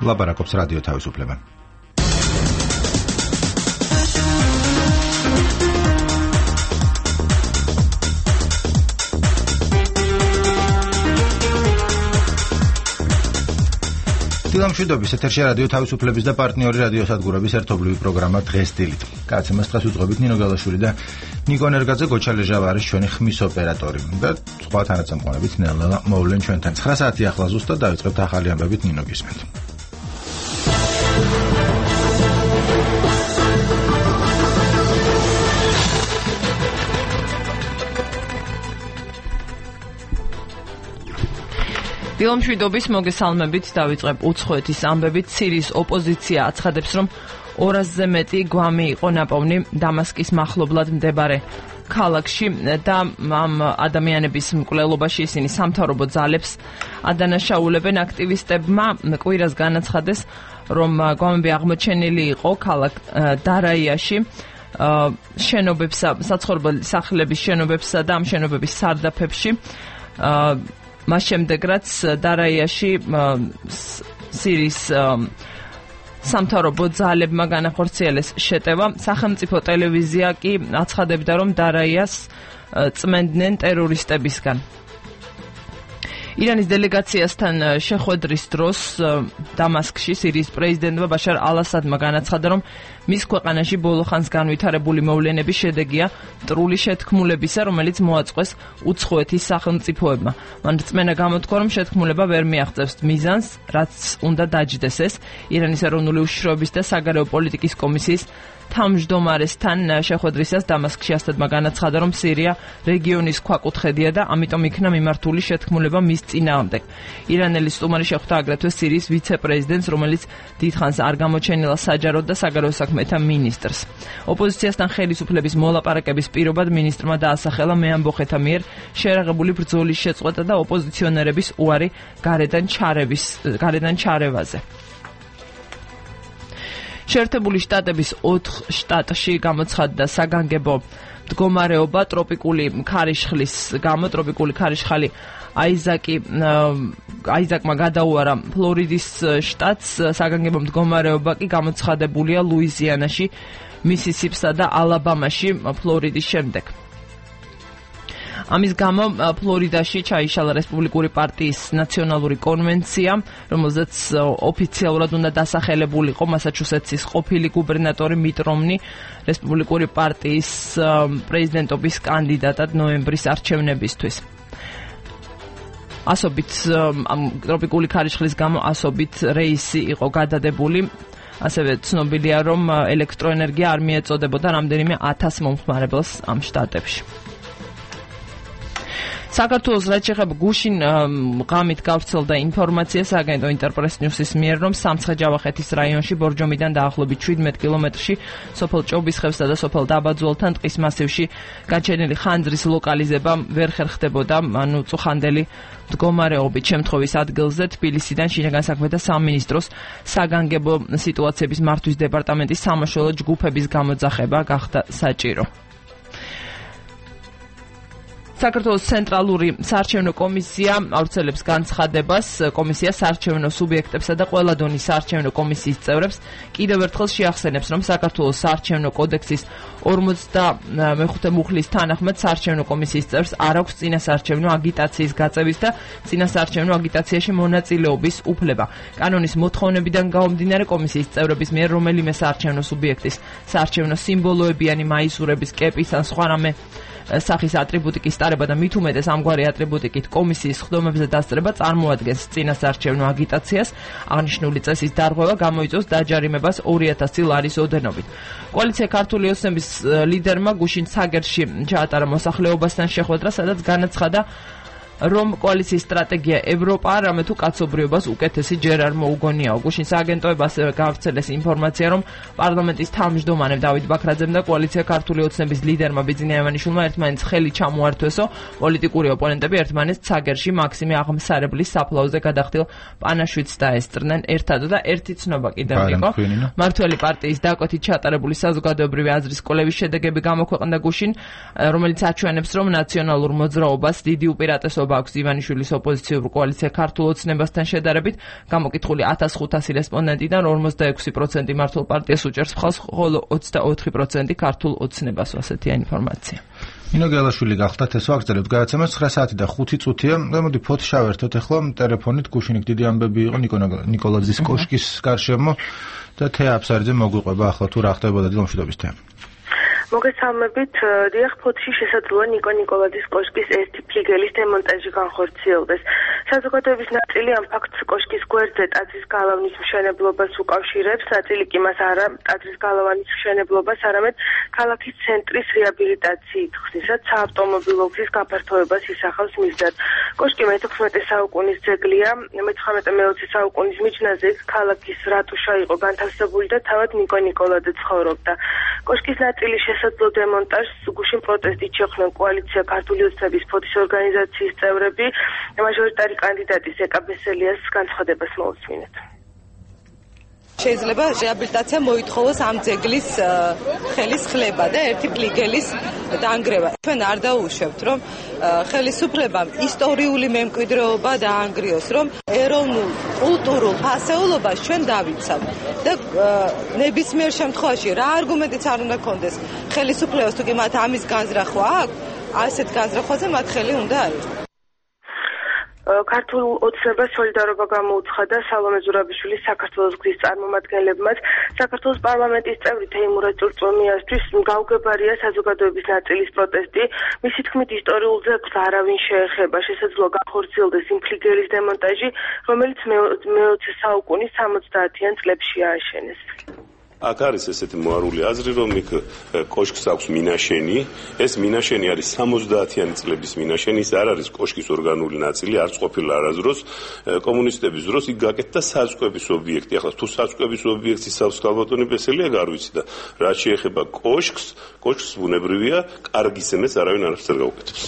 ლაპარაკობს რადიო თავისუფლება. დილამშვიდობის ეთერში რადიო თავისუფლების და პარტნიორი რადიოსადგურების ერთობლივი პროგრამა დღეს დილით. კაცემას დღეს უძღვებით ნინო გალაშვილი და ნიკო ნერგაძე, გოჩა ლეჟავა არის ჩვენი ხმის ოპერატორი და სხვა თანაცემყარებით ნელა მოვლენ ჩვენთან 9 საათი ახლა ზუსტად დავიწყებთ ახალი ამბებით ნინო გისმენთ. დილამშვიდობის მოგესალმებით, დავიწყებ უცხოეთის ამბებით. სირიის ოპოზიცია აცხადებს, რომ 200-ზე მეტი გვამი იყო ნაპოვნი დამასკის მახლობლად მდებარე ქალაქში და ამ ადამიანების მკვლელობაში ისინი სამთავრობო ძალებს ადანაშაულებენ. აქტივისტებმა კვირას განაცხადეს, რომ გვამები აღმოჩენილი იყო ქალაქ დარაიაში, შენობებსა, საცხოვრებელი სახლების შენობებსა და ამ შენობების სარდაფებში. მას შემდეგ, რაც დარაიაში სირიის სამთავრობო ძალებმა განახორციელეს შეტევა, სახელმწიფო ტელევიზია კი აცხადებდა, რომ დარაიას წმენდნენ ტერორისტებისგან. ირანის დელეგაციასთან შეხვედრის დროს დამასკში სირიის პრეზიდენტმა ბაშარ ალ-ასადმა განაცხადა, რომ მის ქვეყანაში ბოლო ხანს განვითარებული მოვლენების შედეგია მტრული შეთქმულებისა, რომელიც მოაწყვეს უცხოეთის სახელმწიფოებმა. მან რწმენა გამოთქვა, რომ შეთქმულება ვერ მიაღწევს მიზანს, რაც უნდა დაჯდეს ეს. ირანის ეროვნული უშიშროების და საგარეო პოლიტიკის კომისიის თავმჯდომარესთან შეხვედრისას დამასკში ასადმა განაცხადა, რომ სირია რეგიონის ქვაკუთხედია და ამიტომ იქნა მიმართული შეთქმულება მის წინააღმდეგ. ირანელი სტუმარი შეხვდა აგრეთვე სირიის ვიცე-პრეზიდენტს, რომელიც დიდხანს არ გამოჩენილა საჯარო და საგარეო საქმეთა მინისტრს. ოპოზიციასთან ხელისუფლების მოლაპარაკების პირობად მინისტრმა დაასახელა მეამბოხეთა მიერ შერაღებული ბრძოლის შეწყვეტა და ოპოზიციონერების უარი გარედან ჩარევაზე. შეერთებული შტატების 4 შტატში გამოცხადდა საგანგებო მდგომარეობა ტროპიკული ქარიშხლის გამო. ტროპიკული ქარიშხალი აიზაკმა გადაუარა ფლორიდის შტატს, საგანგებო მდგომარეობა კი გამოცხადებულია ლუიზიანაში, მისისიპსა და ალაბამაში ფლორიდის შემდეგ. ამის გამო ფლორიდაში ჩაიშალა რესპუბლიკური პარტიის ნაციონალური კონვენცია, რომელზეც ოფიციალურად უნდა დასახელებულიყო მასაჩუსეტსის ყოფილი გუბერნატორი მიტ რომნი რესპუბლიკური პარტიის პრეზიდენტობის კანდიდატად ნოემბრის არჩევნებისთვის. ასობით ტროპიკული ქარიშხლის გამო ასობით რეისი იყო გადადებული. ასევე ცნობილია, რომ ელექტროენერგია არ მიეწოდებოდა რამდენიმე 1000 მომხმარებელს ამ შტატებში. საქართველოს რაც შეეხება გუშინ ღამით გავრცელდა ინფორმაცია სააგენტო ინტერპრეს ნიუსის მიერ, რომ სამცხე-ჯავახეთის რაიონში ბორჯომიდან დაახლოებით 17 კილომეტრში სოფელ ჭობისხევსა და სოფელ დაბაძულთან ტყის მასივში გაჩენილი ხანძრის ლოკალიზება ვერ ხერხდებოდა წუხანდელი მდგომარეობით. შემთხვევის ადგილზე თბილისიდან შინაგან საქმეთა სამინისტროს საგანგებო სიტუაციების მართვის დეპარტამენტის სამაშველო ჯგუფების გამოძახება გახდა საჭირო. საქართველოს ცენტრალური საარჩევნო კომისია ავრცელებს განცხადებას. კომისია საარჩევნო სუბიექტებსა და ყველა დონის საარჩევნო კომისიის წევრებს კიდევ ერთხელ შეახსენებს, რომ საქართველოს საარჩევნო კოდექსის 45 მუხლის თანახმად საარჩევნო კომისიის წევრს არ აქვს წინასაარჩევნო აგიტაციის გაწევის და წინასაარჩევნო აგიტაციაში მონაწილეობის უფლება. კანონის მოთხოვნებიდან გამომდინარე კომისიის წევრების მიერ რომელიმე საარჩევნო სუბიექტის საარჩევნო სიმბოლოებიანი მაისურების, კეპის ან სხვა რამე სახის ატრიბუტიკის ტარება და მით უმეტეს ამგვარი ატრიბუტიკით კომისიის ხდომებზე დასწრება წარმოადგენს წინასაარჩევნო აგიტაციას. აღნიშნული წესის დარღვევა გამოიწვევს დაჯარიმებას 2000 ლარის ოდენობით. კოალიცია ქართული ოცნების ლიდერმა გუშინ ცაგერში ჩაატარა მოსახლეობასთან შეხვედრა, სადაც განაცხადა, რომ კოალიციის სტრატეგია ევროპა რამე თუ კაცობრიობას უკეთესი ჯერ არ მოუგონიაო. გუშინ სააგენტოებმა ასევე გავრცელეს ინფორმაცია, რომ პარლამენტის თავმჯდომარემ დავით ბაქრაძემ და კოალიცია ქართული ოცნების ლიდერმა ბიძინა ივანიშვილმა ერთმანეთს ხელი ჩამოართვესო. პოლიტიკური ოპონენტები ერთმანეთს ცაგერში მაქსიმე აღმსარებლის საფლავზე გადახდილ პანაშვიდს დაესწრნენ. ერთად და ერთი ცნობა კიდევ იყო. მართველი პარტიის დაკვეთით ჩატარებული საზოგადოებრივი აზრის კვლევის შედეგები გამოქვეყნდა გუშინ, რომელიც აჩვენებს, რომ ნაციონალურ მოძრაობას დიდი უპირატესობა განსხვავება აქვს ივანიშვილის ოპოზიციურ კოალიცია ქართულ ოცნებასთან შედარებით. გამოკითხული 1500 რესპონდენტიდან 46% მართულ პარტიას უჭერს მხარს, ხოლო 24% ქართულ ოცნებას. ასეთია ინფორმაცია. ნინო გელაშვილი გახდათ ეს ვაგრძელებთ გადაცემას 9 საათი და 5 წუთია. მოდი ფოთი შავერთოთ ახლა ტელეფონით გუშინი დიდი ამბები იყო ნიკოლაძის კოშკის გარშემო და თეა აფსარიძე მოგვიყვება ახლა თუ რა ხდებოდა დილომშვიდობის თეა. მოგესალმებით, დიახ, ფოთში შესაძლოა ნიკო ნიკოლაძის კოშკის ერთი ფლიგელის დემონტაჟი განხორციელდეს. საზოგადოების ნაწილი ამ ფაქტს კოშკის გვერდზე ტაძრის გალავნის მშენებლობას უკავშირებს, ნაწილი კი მას არა ტაძრის გალავნის მშენებლობას, არამედ ქალაქის ცენტრის რეაბილიტაციით ხსნისად საავტომობილო გზის გაფართოებას ისახავს მიზნად. კოშკი მე-16 საუკუნის ძეგლია, მე-19-20 საუკუნის მიჯნაზე ქალაქის რატუშა იყო განთავსებული და თავად ნიკო ნიკოლაძე ცხოვრობდა. კოშკის ნაწილი შესაძლო დემონტაჟს გუშინ პროტესტით შეხვდნენ კოალიცია ქართული ოცნების ფოთის ორგანიზაციის წევრები. მაჟორიტარი კანდიდატის ეკა ბესელიას განცხადებას მოусმინეთ. შეიძლება რეაბილიტაცია მოითხოვოს ამ ძეგლის ხელის ხლება და ერთი ფლიგელის დაანგრევა. ჩვენ არ დაუშვებთ, რომ ხელისუფლებამ ისტორიული მემკვიდრეობა დაანგრიოს, რომ ეროვნულ კულტურულ ფასეულობას ჩვენ დავიცავთ და ნებისმიერ შემთხვევაში რა არგუმენტიც არ უნდა კონდეს ხელისუფლებას, თუ კი მათ ამის განზრახვა აქვს, ასეთ განზრახვაზე მათ ხელი უნდა აიღოს. ქართულ ოცნებას სოლიდარობა გამოუცხადა სალომე ზურაბიშვილის საქართველოს გზის წარმომადგენლებმაც. საქართველოს პარლამენტის წევრი თეიმურაზ ჭურჭელმიასთვის გაუგებარია საზოგადოების ნაწილის პროტესტი. მისი თქმით, ისტორიულ ძეგლს არავინ შეეხება. შესაძლოა განხორციელდეს იმ ფლიგელის დემონტაჟი, რომელიც მე-20 საუკუნის 70-იან წლებში ააშენეს. აქ არის ესეთი მოარული აზრი, რომ იქ კოშკს აქვს მინაშენი, ეს მინაშენი არის 70-იანი წლების მინაშენი, ის არ არის კოშკის ორგანული ნაწილი, არც ყოფილა არასდროს კომუნისტების დროს იქ გაკეთდა საწყების ობიექტი. ახლა თუ საწყების ობიექტს იცავს ქალბატონი ბესელია, არ ვიცი და რაც შეეხება კოშკს ბუნებრივია, კარგი სენეს არავინ არაფერს არ გაუკეთებს.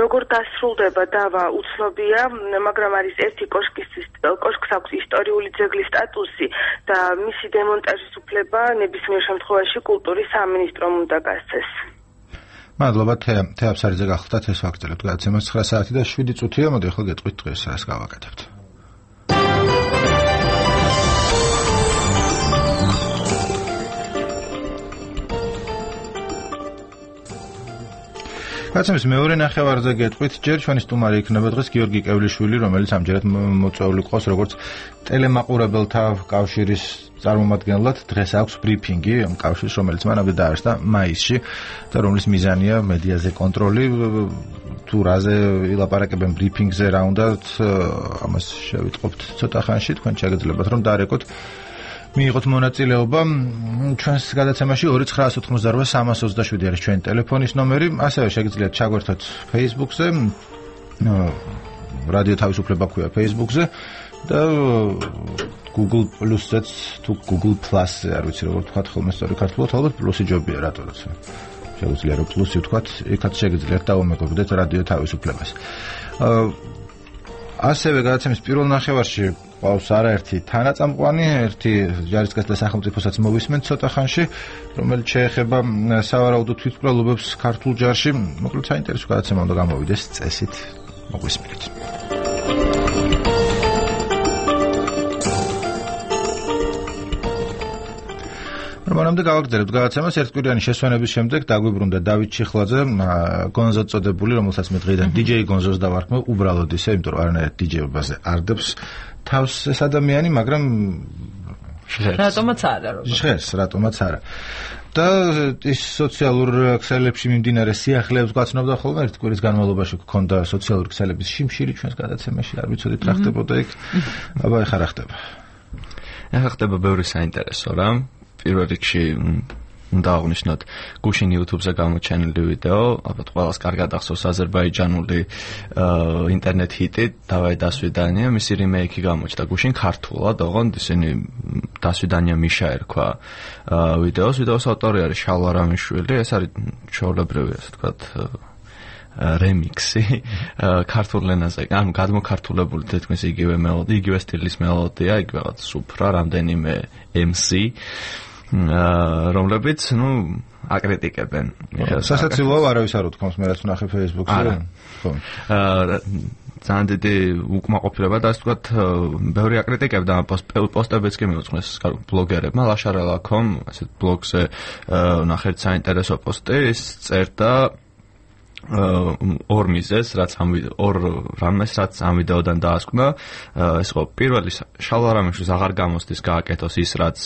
როგორ დასრულდება დავა უცნობია, მაგრამ არის ერთი კოშკს აქვს ისტორიული ძეგლის სტატუსი და მისი დემონტაჟის უფლება ნებისმიერ შემთხვევაში კულტურის სამინისტრომ უნდა გასცეს. მადლობა თეა აფსარიძე გახდათ ეს ვაგრძელებთ გადაცემას 9 საათი და 7 წუთია. მოდი ახლა გეტყვით დღეს რას გავაკეთებთ. გადაცემის მეორე ნახევარზე გეტყვით, ჯერ ჩვენი სტუმარი იქნება დღეს გიორგი კევლიშვილი, რომელიც ამჯერად მოწვეული ყავს როგორც ტელემაყურებელთა კავშირის წარმომადგენლად. დღეს აქვს ბრიფინგი ამ კავშირს, რომელიც მანამდე დაარსდა მაისში და რომლის მიზანია მედიაზე კონტროლი. თუ რაზე ილაპარაკებენ ბრიფინგზე, რა უნდათ, ამას შევიტყობთ ცოტა ხანში. თქვენ შეგიძლიათ რომ დაარეკოთ მიიღოთ მონაწილეობა ჩვენს გადაცემაში 2988327 არის ჩვენი ტელეფონის ნომერი. ასევე შეგიძლიათ ჩაგვერთოთ Facebook-ზე, რადიო თავისუფლება ქვია Facebook-ზე და Google Plus-ზეც თუ Google Plus-ზე, არ ვიცი როგორ თქვა ხოლმე სწორი ქართულად, ალბათ პლუსი ჯობია რატოდაც. შეგვიძლია რომ პლუსი ვთქვათ, იქაც შეგიძლიათ დაუმეგობრდეთ რადიო თავისუფლებას. ასევე გადაცემის პირველ ნახევარში ყავს არაერთი თანაწამყვანი, ერთი ჯარისკაცთა სახელმწიფოსაც მოვისმენთ ცოტა ხანში, რომელიც შეეხება სავარაუდო თვითმკვლელობებს ქართულ ჯარში. მოკლედ საინტერესო გადაცემა უნდა გამოვიდეს წესით. მოგვისმენთ. მანამდე გავაგრძელებთ გადაცემას. ერთკვირიანი შესვენების შემდეგ დაგვიბრუნდა დავით ჩიხლაძე, გონზო წოდებული, რომელსაც მე დღეიდან DJ გონზოს დავარქმევ, უბრალოდ ისე, იმიტომ რომ არანაირად DJ-ობაზე არ დებს თავს ეს ადამიანი, მაგრამ რატომაც არა, რატომაც არა. და ის სოციალურ ქსელებში მიმდინარე სიახლეებს გვაცნობდა ხოლმე, ერთ კვირის განმავლობაში გქონდა სოციალური ქსელების შიმშილი ჩვენს გადაცემაში, არ ვიცოდით რა ხდებოდა იქ. აბა ეხლა რა ხდება? ეხლა ხდება ბევრი საინტერესო რა. პირველ რიგში უნდა აღნიშნოთ გუშინ YouTube-ზე გამოჩენილი ვიდეო, ალბათ ყველას კარგად ახსოვს აზერბაიჯანული ინტერნეტ ჰიტი დავაი დასვიდანია, მისი რიმეიკი გამოჩნდა გუშინ ქართულად, ოღონდ ისინი დასვიდანია მიშა ერქვა ვიდეოს ავტორი არის შალვა რამიშვილი, ეს არის ჩვეულებრივი ასე ვთქვათ remix-ი ქართულ ენაზე, ანუ გადმოქართულებული თითქმის იგივე სტილის მელოდია, იგივე სუფრა, რამდენიმე MC რომლებიც, აკრიტიკებენ. სასაცილოა არავის არ უთქვამს მე რაც ვნახე Facebook-ზე. ხო. ძალიან დიდი უკმაყოფილება და ასე ვთქვათ, ბევრი აკრიტიკებდა პოსტებიც კი მიუძღვნეს ბლოგერებმა, lashara.com, ასეთ ბლოგზე ნახეთ საინტერესო პოსტი, ის წერდა ორ მიზეზს, რაც ამ ვიდეოდან დაასკვნა, ეს იყო პირველი შალვა რამიშვილს აღარ გამოსდის გააკეთოს ის, რაც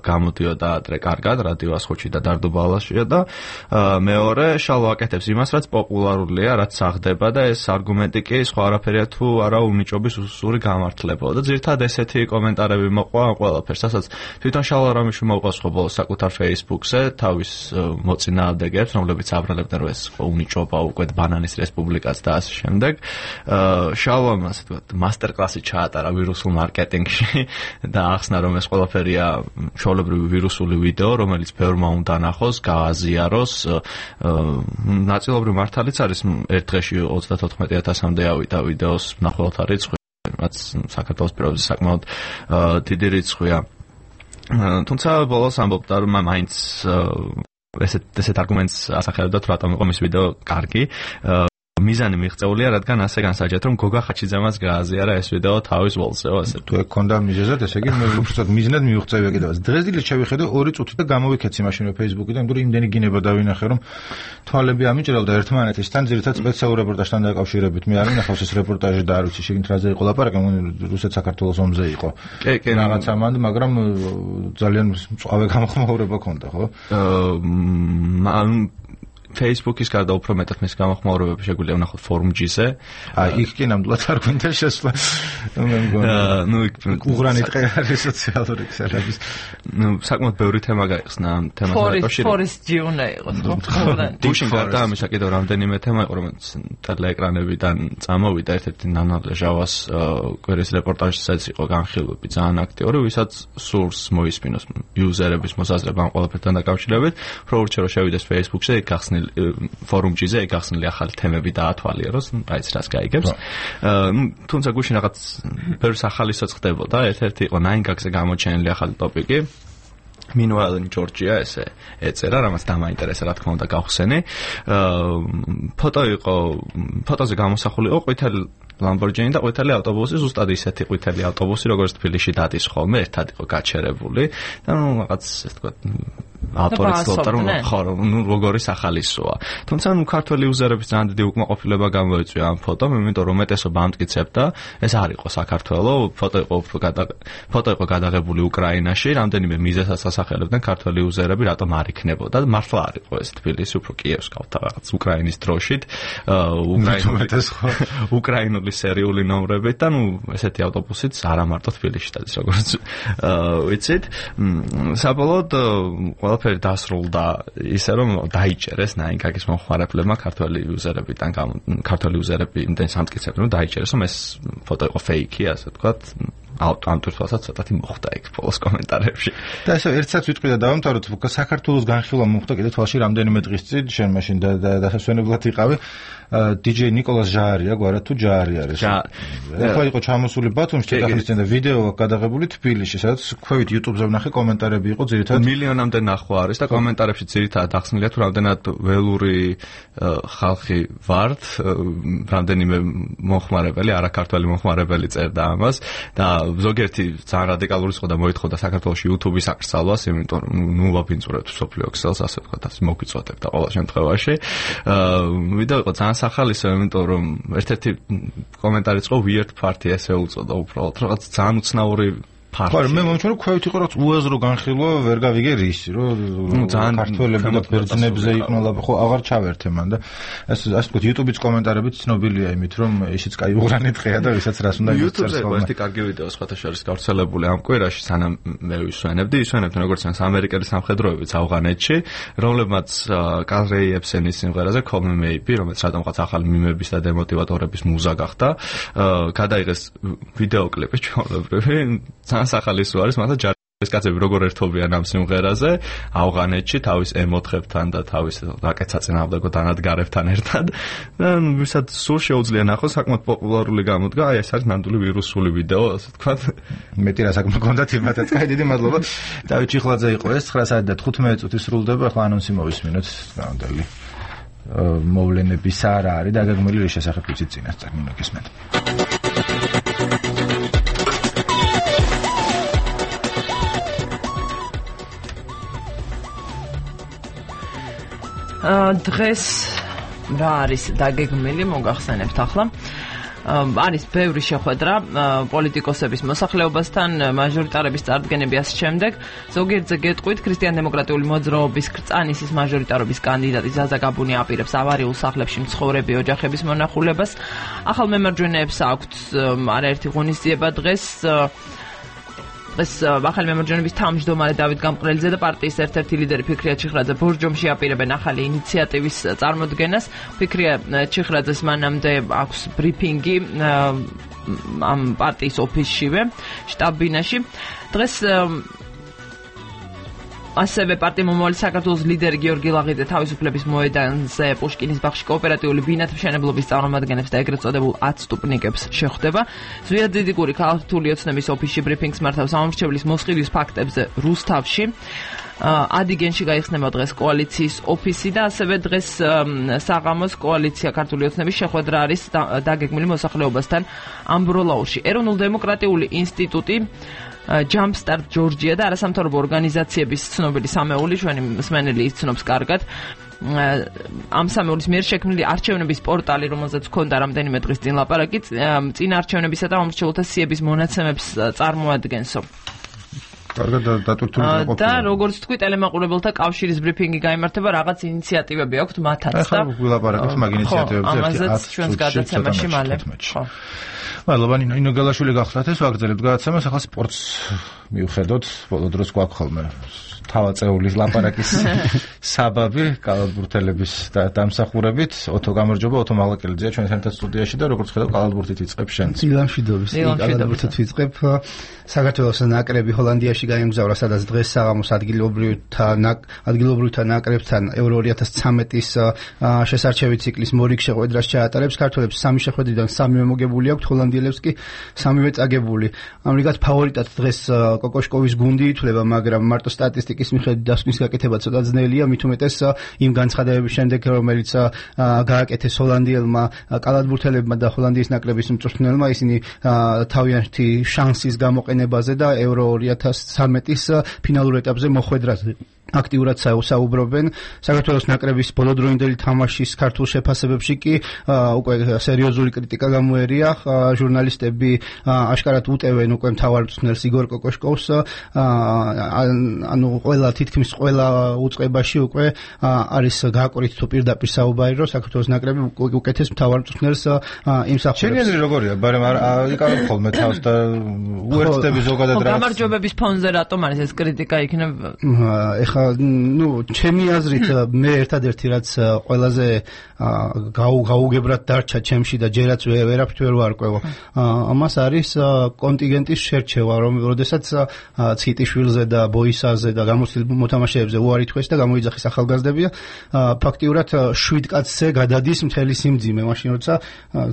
გამოდიოდა ადრე კარგად რადიო ასხოჩი და დარდუბალაშია და მეორე შალვა აკეთებს იმას, რაც პოპულარულია, რაც აღდება და ეს არგუმენტი კი სხვა არაფერია თუ არა უნიჭობის უსური გამართლებაა და ძირითადად ესეთი კომენტარები მოყვა ამ ყველაფერს, რასაც თვითონ შალვა რამიშვილი მოყავს ხო ბოლოს საკუთარ Facebook-ზე თავის მოწინააღმდეგეებს, რომლებიც აბრალებდნენ რომ ეს უნიჭობა უკვე ბანანის რესპუბლიკაც და ასე შემდეგ. შალვამ ასე ვთქვათ, მასტერ-კლასი ჩაატარა ვირუსულ მარკეტინგში და ახსნა რომ ეს ყველაფერია ჩვეულებრივი ვირუსული ვიდეო, რომელიც ბევრმა უნდა ნახოს, გააზიაროს. ნაწილობრივ მართალიც არის ერთ დღეში 34,000-მდე ავიდა ვიდეოს მნახველთა რიცხვი, რაც საქართველოს პირობებზე საკმაოდ დიდი რიცხვია. თუმცა ბოლოს ამბობდა რომ მაინც ესეთ არგუმენტს ასახელებდა თუ რატომ იყო მის ვიდეო კარგი. მიზანი მიღწეულია, რადგან ასე განსაჯეთ, რომ გოგა ხაჩიძემაც გააზიარა ეს ვიდეო თავის ვალსეო, ასე. თუ ეგ ქონდა მიზეზად, ესე იგი მე უბრალოდ მიზნად მივიღწევია კიდევაც. დღესდღეობით შევიხედე 2 წუთი და გამოვიქეცი მაშინვე Facebook-იდან, იმიტომ რომ იმდენი გინება დავინახე, რომ თვალები ამიჭრელდა ერთმანეთისთან, ძირითადად სპეციალურ რეპორტაჟთან დაკავშირებით. მე არ მინახავს ეს რეპორტაჟი და არ ვიცი შეგინთ რაზე იყო ლაპარაკი, რუსეთ-საქართველოს ომზე იყო. კი, რაღაც ამან, მაგრამ ძალიან მწვავე გამოხმაურება ქონდა, ხო? Facebook-ის გარდა უფრო მეტად მის გამოხმაურებები შეგვიძლია ვნახოთ Forum-ზე. იქ კი ნამდვილად არ გვინდა შესვლა. მე მგონი. უღრანი ტყე არის სოციალური ქსელების. საკმაოდ ბევრი თემა გაიხსნა ამ თემასთან დაკავშირებით. Forest-ი უნდა იყოს, ხო? გუშინ გარდა ამისა კიდევ რამდენიმე თემა იყო, რომელიც ტელეეკრანებიდან წამოვიდა, ერთ-ერთი ნანა ჟავას კვირის რეპორტაჟისაც იყო განხილვები ძალიან აქტიური, ვისაც სურს მოისმინოს იუზერების მოსაზრება ამ ყველაფერთან დაკავშირებით. უფრო ურჩე რომ შევიდეს Facebook-ზე, გახსნილი Forum-ზე გახსნილი ახალი თემები დაათვალიეროს, აი ეს რას გაიგებს. თუმცა გუშინ რაღაც ბევრს ახალისოც ხდებოდა, ერთ-ერთი იყო 9gag-ზე გამოჩენილი ახალი ტოპიკი. Meanwhile in Georgia ესე ეწერა, რამაც დამაინტერესა, რა თქმა უნდა გავხსენი. ფოტოზე გამოსახული იყო ყვითელი Lamborghini და ყვითელი ავტობუსი, ზუსტად ისეთი ყვითელი ავტობუსი, როგორც თბილისში დადის ხოლმე, ერთად იყო გაჩერებული და რაღაც ესე ვთქვათ ავტორი ცდილობდა რომ როგორი სახალისოა. თუმცა ქართველი იუზერების ძალიან დიდი უკმაყოფილება გამოიწვია ამ ფოტომ, იმიტომ რომ უმეტესობა ამტკიცებდა, ეს არ იყო საქართველო, ფოტო იყო გადაღებული უკრაინაში, რამდენიმე მიზეზსაც ასახელებდნენ ქართველი იუზერები, რატომ არ იქნებოდა. მართლა არ იყო ეს თბილისი, უფრო კიევს გავთა რაღაც უკრაინის დროშით, უკრაინული სერიული ნომრებით და ესეთი ავტობუსიც არა მარტო თბილისში დადის, როგორც ვიცით. საბოლოოდ ყველაფერი დასრულდა ისე რომ დაიჭერეს 9gag-ის მომხმარებლებმა ქართველი იუზერები იმდენ სამტკიცებდნენ რომ დაიჭერეს რომ ეს ფოტო იყო ფეიქი, ასე ვთქვათ. ამ თვითონაც ცოტათი მოხდა იქ ბოლოს კომენტარებში. და ესე ერთსაც ვიტყვი და დავამთავროთ, საქართველოს განხილვა მოხდა კიდე თვალში რამდენიმე დღის წინ, შენ მაშინ დასასვენებლად იყავი. DJ ნიკოლას ჟაარია, გვარად თუ ჟაარი არის. ეხლა იყო ჩამოსული ბათუმში და ახლის წინ და ვიდეო გადაღებული თბილისში, სადაც ქვევით YouTube-ზე ვნახე კომენტარები იყო ძირითადად მილიონამდე ნახვა არის და კომენტარებში ძირითადად ახსნილია თუ რამდენად ველური ხალხი ვართ, რამდენიმე მომხმარებელი, არაქართველი მომხმარებელი წერდა ამას და ზოგიერთი ძალიან რადიკალური იყო და მოითხოვდა საქართველოში YouTube-ის აკრძალვას, იმიტომ რომ ვაბინძურებთ სოფლიო ქსელს, ასე ვთქვათ, ასე მოგვიწოდებდა ყველა შემთხვევაში. ვიდეო იყო ძალიან სახალისო, იმიტომ რომ ერთ-ერთი კომენტარიც იყო weird party ესე უწოდა უბრალოდ რაღაც ძალიან უცნაური ხო, მე მომჩვენა რომ ქვევით იყო რაღაც უაზრო განხილვა, ვერ გავიგე რისი, რომ ქართველები და ბერძნებზე იყვნენ, ხო, აღარ ჩავერთე მან და ასე ვთქვათ, YouTube-ის კომენტარებით ცნობილია იმით, რომ ისიც კაი უღრანი ტყეა და ვისაც რას უნდა იცის. YouTube-ზე ერთი კარგი ვიდეო სხვათა შორის გავრცელებული ამ კვირაში, სანამ მე ისვენებდნენ როგორც ჩანს ამერიკელი სამხედროებიც ავღანეთში, რომლებმაც კარლ რეი ებსენის სიმღერაზე Call Me Maybe, რომელიც რადგანაც ახალი მიმების და დემოტივატორების მუზა გახდა, გადაიღეს ვიდეო კლიპი ჩვეულებრივი სახალისო არის, მაგრამ ეს კაცები როგორ ერთობიან ამ სიმღერაზე ავღანეთში თავის ემოთებთან და თავის რაკეტსაწინააღმდეგო დანადგარებთან ერთად და ვისაც სულ შეუძლია ნახოს საკმაოდ პოპულარული გამოდგა აი ეს არის ნამდვილი ვირუსული ვიდეო ასე ვთქვათ მეტი რა საქმე გქონდათ იმათაც კაი დიდი მადლობა დავით ჩიხლაძე იყო ეს 9:15 წუთი სრულდება ახლა ანონსი მოვისმინოთ გამდელი მოვლენების არა არის დაგეგმილი რის შესახებ ვიცით წინასწარ ნინო გესმენთ დღეს რა არის დაგეგმილი მოგახსენებთ ახლა არის ბევრი შეხვედრა პოლიტიკოსების მოსახლეობასთან მაჟორიტარების წარდგენების შემდეგ ზოგიერთზე გეტყვით ქრისტიან-დემოკრატიული მოძრაობის კრწანისის მაჟორიტარობის კანდიდატი ზაზა გაბუნი აპირებს ავარიულ სახლებში მცხოვრები ოჯახების მონახულებას ახალ მემარჯვენეებს აქვთ არაერთი ღონისძიება დღეს ახალი მემარჯვენეების თავმჯდომარე დავით გამყრელიძე და პარტიის ერთ-ერთი ლიდერი ფიქრია ჩიხრაძე ბორჯომში აპირებენ ახალი ინიციატივის წარმოდგენას. ფიქრია ჩიხრაძეს მანამდე აქვს ბრიფინგი ამ პარტიის ოფისშივე, შტაბ-ბინაში. დღეს ასევე პარტია მომავალი საქართველოს ლიდერი გიორგი ლაღიძე თავისუფლების მოედანზე პუშკინის ბაღში კოოპერატიული ბინათმშენებლობის წარმომადგენლებს და ეგრეთ წოდებულ 10 სტუპნიკებს შეხვდება. ზვიადიდიკური ქართული ოცნების ოფისში ბრიფინგს მართავს ამომრჩევლის მოსყიდვის ფაქტებზე რუსთავში. ადიგენში გაიხსნება დღეს კოალიციის ოფისი და ასევე დღეს საღამოს კოალიცია ქართული ოცნების შეხვედრა არის დაგეგმილი მოსახლეობასთან ამბროლაურში. ეროვნულ-დემოკრატიული ინსტიტუტი Jumpstart Georgia და არასამთავრობო ორგანიზაციების ცნობილი სამეული ჩვენი მსმენელი იცნობს კარგად ამ სამეულის მიერ შექმნილი არჩევნების პორტალი, რომელზეც ჰქონდა რამდენიმე დღის წინ ლაპარაკი, წინა არჩევნებისა და მომრჩეველთა სიების მონაცემებს წარმოადგენსო. კარგად დატვირთული ყოფილა. და როგორც თქვი, ტელემაყურებელთა კავშირის ბრიფინგი გაიმართება, რაღაც ინიციატივები აქვთ მათაც და ახლა ვილაპარაკოთ მაგ ინიციატივებზე ამაზეც ჩვენს გადაცემაში მალე. მადლობა ნინო გალაშვილი გახლდათ ეს ვაგრძელებთ გადაცემას ახლა სპორტს მივხედოთ ბოლო დროს გვაქვს ხოლმე თავაწეულის ლაპარაკის საბაბი კალათბურთელების დამსახურებით ოთო გამარჯობა ოთო მალაკელიძეა ჩვენ ერთად სტუდიაში და როგორც ხედავ კალათბურთით იწყებ შენ ილამშვიდობის კალათბურთით ვიწყებ საქართველოს ნაკრები ჰოლანდიაში გაემგზავრა სადაც დღეს საღამოს ადგილობრივთა ნაკრებთან Euro 2013-ის შესარჩევი ციკლის მორიგ შეხვედრას ჩაატარებს ქართველებს 3 შეხვედრიდან 3 მოგებული აქვთ ჰოლანდიელებს კი 3 წაგებული ამრიგად ფავორიტად დღეს კოკოშკოვის გუნდი ითვლება მაგრამ მარტო სტატისტიკის მიხედვით დასკვნის გაკეთება ცოტა ძნელია მით უმეტეს იმ განცხადებების შემდეგ რომელიც გააკეთეს ჰოლანდიელმა კალათბურთელებმა და ჰოლანდიის ნაკრების მწვრთნელმა ისინი თავიანთი შანსის გამოყენებაზე და Euro 2013-ის ფინალურ ეტაპზე მოხვედრაზე აქტიურად საუბრობენ საქართველოს ნაკრების ბოლოდროინდელი თამაშის ქართულ შეფასებებში კი უკვე სერიოზული კრიტიკა გამოერია ჟურნალისტები აშკარად უტევენ უკვე მთავარ მწვრთნელს იგორ კოკოშკოვს ანუ თითქმის ყველა უწყებაში უკვე არის გააკვრით თუ პირდაპირ საუბარი რომ საქართველოს ნაკრები უკეთეს მთავარ მწვრთნელს იმსახურებს. შეგიძლია როგორია, მაგრამ იკავებ ხოლმე თავს და უერთდები ზოგადად რა. გამარჯვებების ფონზე რატომ არის ეს კრიტიკა იქნება? ჩემი აზრით მე ერთადერთი რაც ყველაზე გაუგებრად დარჩა ჩემში და ჯერაც ვერაფრით ვერ ვარკვევ ამას არის კონტინგენტის შერჩევა როდესაც ციტიშვილზე და ბოისაზე და გამოცდილ მოთამაშეებზე უარი თქვეს და გამოიძახეს ახალგაზრდებია ფაქტიურად 7 კაცზე გადადის მთელი სიმძიმე მაშინ როცა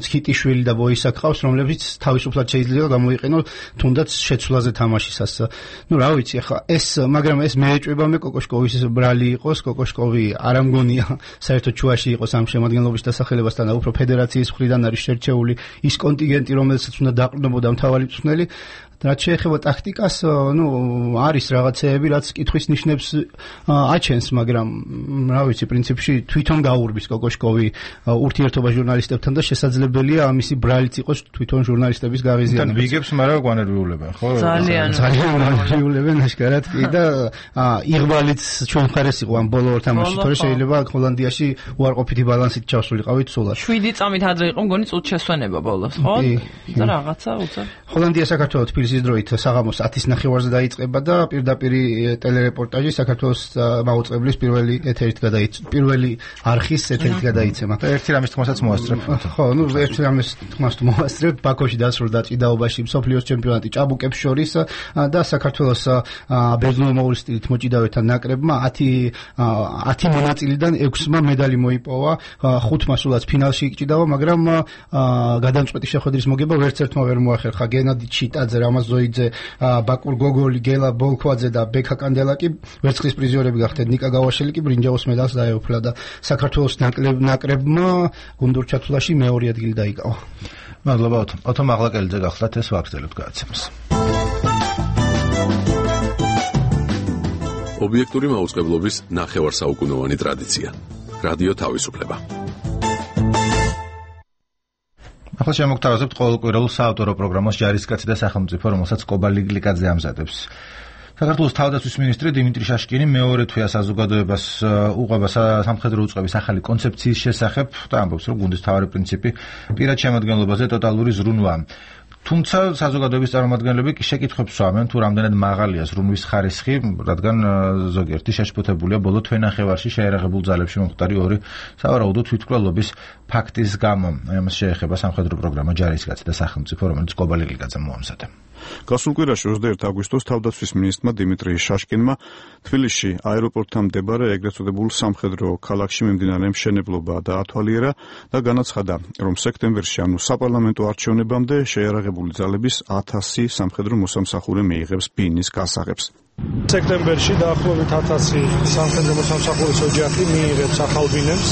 ციტიშვილი და ბოისა გყავს რომლებიც თავისუფლად შეიძლება გამოიყენო თუნდაც შეცვლაზე თამაშისას რა ვიცი ახლა მაგრამ ეს მეეჭვება მე კოკოშკოვის ბრალი იყოს კოკოშკოვი არ ამგონია საერთოდ ჩუაში იყოს ამ შემადგენლობის დასახელებასთან და უფრო ფედერაციის მხრიდან არის შერჩეული ის კონტინგენტი რომელსაც უნდა დაყრდნობოდა მთავარი მწვრთნელი რაც შეეხება ტაქტიკას არის რაღაცეები რაც კითხვის ნიშნებს აჩენს მაგრამ რა ვიცი პრინციპში თვითონ გაურბის კოკოშკოვი ურთიერთობა ჟურნალისტებთან და შესაძლებელია ამისი ბრალიც იყოს თვითონ ჟურნალისტების გაღიზიანება. თან ვიგებს მაგრამ განერვიულებენ ხო? ძალიან განერვიულებენ აშკარად კი და იღბალიც ჩვენ მხარეს იყო ამ ბოლო ორ თამაშში თორე შეიძლება ჰოლანდიაში უარყოფითი ბალანსით ჩავსულიყავით სულად. 7 წამით ადრე იყო მგონი წუთშესვენება ბოლოს ხო? და რაღაცა უცებ. ჰოლანდია საქართველოს თბილისის დროით საღამოს 10:09-ზე დაიწყება და პირდაპირ ტელერეპორტაჟი საქართველოს მაუწყებლის პირველი არხის ეთერით გადაიცემა. ერთი რამის თქმასაც მოასწრებ. ხო, ერთი რამის თქმას მოასწრებ. ბაქოში დასრულდა ჭიდაობაში მსოფლიოს ჩემპიონატი ჭაბუკებს შორის და საქართველოს ბერძნულ-მოულის სტილით მოჭიდავეთა ნაკრებმა 10 მონაწილიდან 6-მა медали მოიპოვა, 5-მა სულაც ფინალში იკჭიდავა, მაგრამ გადამწყვეტი შეხვედრის მოგება ვერც ერთმა ვერ მოახერხა. გენადი ჩიტაძე, რამაზ ზოიძე, ბაკურ გოგოლი, გელა ბოლქვაძე და ბექა კანდელაკი ვერცხლის პრიზიორები გახდნენ. ნიკა გავაშელი კი ბრინჯაოს მედალს დაეუფლა და საქართველოს ნაკრებმა გუნდურ ჩათვლაში მეორე ადგილი დაიკავა. მადლობა ოთო მაღლაკელიძე გახლდათ ეს ვაგრძელებთ გადაცემას. ობიექტური მაუწყებლობის ნახევარსაუკუნოვანი ტრადიცია. რადიო თავისუფლება. ახლა შემოგთავაზებთ ყოველკვირეულ საავტორო პროგრამას ჯარისკაცი და სახელმწიფო, რომელსაც კობა ლიკლიკაძე ამზადებს. საქართველოს თავდაცვის მინისტრი დიმიტრი შაშკინი მეორე თვეა საზოგადოებას უყვება სამხედრო უწყების ახალი კონცეფციის შესახებ და ამბობს, რომ გუნდის მთავარი პრინციპი პირად შემადგენლობაზე ტოტალური ზრუნვაა. თუმცა საზოგადოების წარმომადგენლები კი შეკითხვებს სვამენ, თუ რამდენად მაღალია ზრუნვის ხარისხი, რადგან ზოგიერთი შეშფოთებულია ბოლო თვენახევარში შეიარაღებულ ძალებში მომხდარი ორი სავარაუდო თვითმკვლელობის ფაქტის გამო. ამას შეეხება სამხედრო პროგრამა ჯარისკაცი და სახელმწიფო, რომელიც კობა ლიკლიკაძემ მოამზადა. გასულ კვირაში 21 აგვისტოს თავდაცვის მინისტრმა დიმიტრი შაშკინმა თბილისში აეროპორტთან მდებარე ეგრეთ წოდებულ სამხედრო ქალაქში მიმდინარე მშენებლობა დაათვალიერა და განაცხადა, რომ სექტემბერში, ანუ საპარლამენტო არჩევნებამდე შეიარაღებული ძალების 1000 სამხედრო მოსამსახურე მიიღებს ბინის გასაღებს. სექტემბერში დაახლოებით 1000 სამხედრო მოსამსახურის ოჯახი მიიღებს ახალ ბინებს.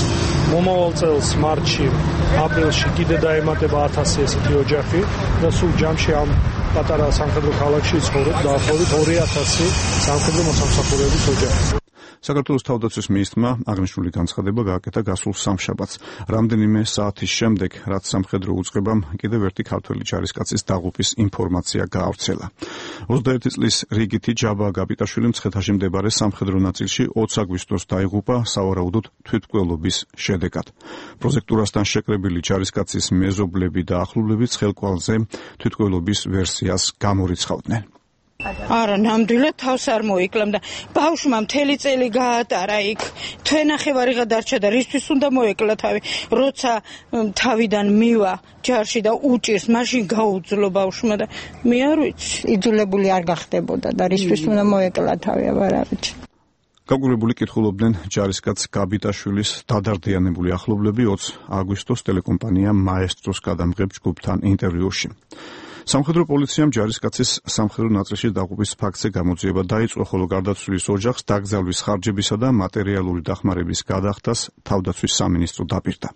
მომავალ წელს მარტში, აპრილში კიდე დაემატება 1000 ესეთი ოჯახი და სულ ჯამში ამ პატარა სამხედრო ქალაქში ცხოვრობს დაახლოებით 2000 სამხედრო მოსამსახურეების ოჯახი. საქართველოს თავდაცვის მინისტრმა აღნიშნული განცხადება გააკეთა გასულ სამშაბათს, რამდენიმე საათის შემდეგ, რაც სამხედრო უწყებამ კიდევ ერთი ქართველი ჯარისკაცის დაღუპვის ინფორმაცია გაავრცელა. 21 წლის რიგითი ჯაბა გაბიტაშვილი მცხეთაში მდებარე სამხედრო ნაწილში 20 აგვისტოს დაიღუპა სავარაუდოდ თვითმკვლელობის შედეგად. პროზექტურასთან შეკრებილი ჯარისკაცის მეზობლები და ახლობლები ცხელკვალზე თვითმკვლელობის ვერსიას გამორიცხავდნენ. არა, ნამდვილად თავს არ მოიკლამდა. ბავშვმა მთელი წელი გაატარა იქ. თვენახევარი დარჩა და რისთვის უნდა მოეკლა თავი? როცა თავიდან მივა ჯარში და უჭირს, მაშინ გაუძლო ბავშვმა და მე არ ვიცი, იძულებული არ გახდებოდა და რისთვის უნდა მოეკლა თავი, არ ვიცი. გაგვირებული კითხულობდნენ ჯარისკაც გაბიტაშვილის დადარდიანებული ახლობლები 20 აგვისტოს ტელეკომპანია მაესტროს გადამღებ ჯგუფთან ინტერვიუში. სამხედრო პოლიციამ ჯარისკაცის სამხედრო ნაწილში დაღუპვის ფაქტზე გამოძიება დაიწყო, ხოლო გარდაცვლილის ოჯახს დაკრძალვის ხარჯებისა და მატერიალური დახმარების გადახდას თავდაცვის სამინისტრო დაპირდა.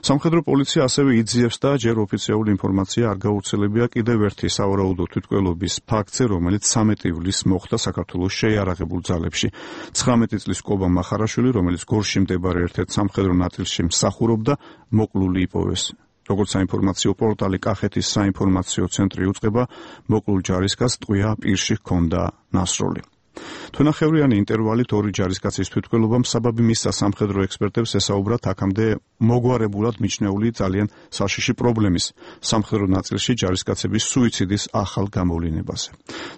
სამხედრო პოლიცია ასევე იძიებს და ჯერ ოფიციალური ინფორმაცია არ გაუვრცელებია კიდევ ერთი სავარაუდო თვითმკვლელობის ფაქტზე, რომელიც 13 ივლისს მოხდა საქართველოს შეიარაღებულ ძალებში. 19 წლის კობა მახარაშვილი, რომელიც გორში მდებარე ერთ-ერთ სამხედრო ნაწილში მსახურობდა, მოკლული იპოვეს. როგორც საინფორმაციო პორტალი კახეთის საინფორმაციო ცენტრი უწყება, მოკლულ ჯარისკაცს ტყვია პირში ჰქონდა ნასროლი. თვენახევრიანი ინტერვალით ორი ჯარისკაცის თვითმკვლელობამ საბაბი მისცა სამხედრო ექსპერტებს ესაუბრათ აქამდე მოგვარებულად მიჩნეული ძალიან საშიში პრობლემის სამხედრო ნაწილში ჯარისკაცების სუიციდის ახალ გამოვლინებაზე.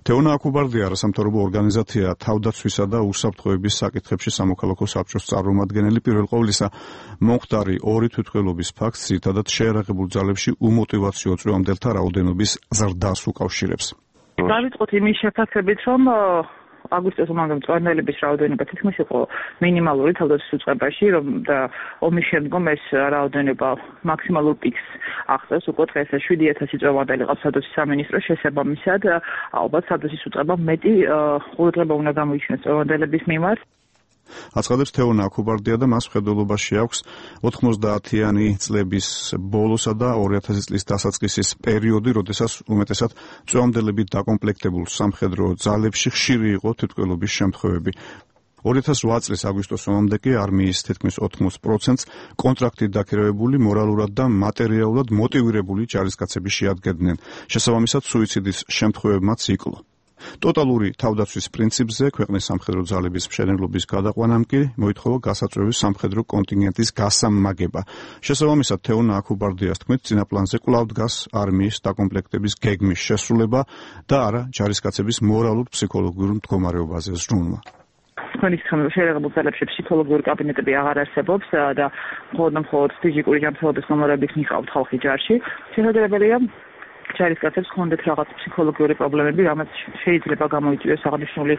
თეონა აკუბარდია არასამთავრობო ორგანიზაცია თავდაცვისა და უსაფრთხოების საკითხებში სამოქალაქო საბჭოს წარმომადგენელი, პირველ ყოვლისა მომხდარი ორი თვითმკვლელობის ფაქტს ძირითადად შეიარაღებულ ძალებში უმოტივაციო წვევამდელთა რაოდენობის ზრდას უკავშირებს. დავიწყოთ იმის შეფასებით, რომ აგვისტოს ომამდე მწვერვალების რაოდენობა თითქმის იყო მინიმალური თავდაცვის უწყებაში, რომ და ომის შემდგომ ეს რაოდენობა მაქსიმალურ პიკს აღწევს. უკვე დღეს 7000 წვევანდელი ყავს თავდაცვის სამინისტროს, შესაბამისად ალბათ თავდაცვის უწყებამ მეტი ყურადღება უნდა გამოიჩინოს წვევანდელების მიმართ. აცხადებს თეონა აკუბარდია და მას მხედველობაში აქვს 90-იანი წლების ბოლოსა და 2000 წლის დასაწყისის პერიოდი, როდესაც უმეტესად წვევამდელებით დაკომპლექტებულ სამხედრო ძალებში ხშირი იყო თვითმკვლელობის შემთხვევები. 2008 წლის აგვისტოს ომამდე კი არმიის თითქმის 80%-ს კონტრაქტით დაქირავებული, მორალურად და მატერიალურად მოტივირებული ჯარისკაცები შეადგენდნენ. შესაბამისად, სუიციდის შემთხვევებმაც იკლო. ტოტალური თავდაცვის პრინციპზე ქვეყნის სამხედრო ძალების მშენებლობის გადაყვანამ კი მოითხოვა გასაწვევის სამხედრო კონტინგენტის გასამაგება. შესაბამისად, თეონა აქუბარდიას თქმით, წინა პლანზე კვლავ დგას არმიის დაკომპლექტების გეგმის შესრულება და არა ჯარისკაცების მორალურ-ფსიქოლოგიურ მდგომარეობაზე ზრუნვა. თქვენი შეერაღებულ ძალებში ფსიქოლოგიური კაბინეტები აღარ არსებობს და მხოლოდ ფიზიკური ჯანმრთელობის ნომრებით მიყავთ ხალხი ჯარში. შესაძლებელია ჯარისკაცებს ჰქონდეთ რაღაც ფსიქოლოგიური პრობლემები, რამაც შეიძლება გამოიწვიოს აღნიშნული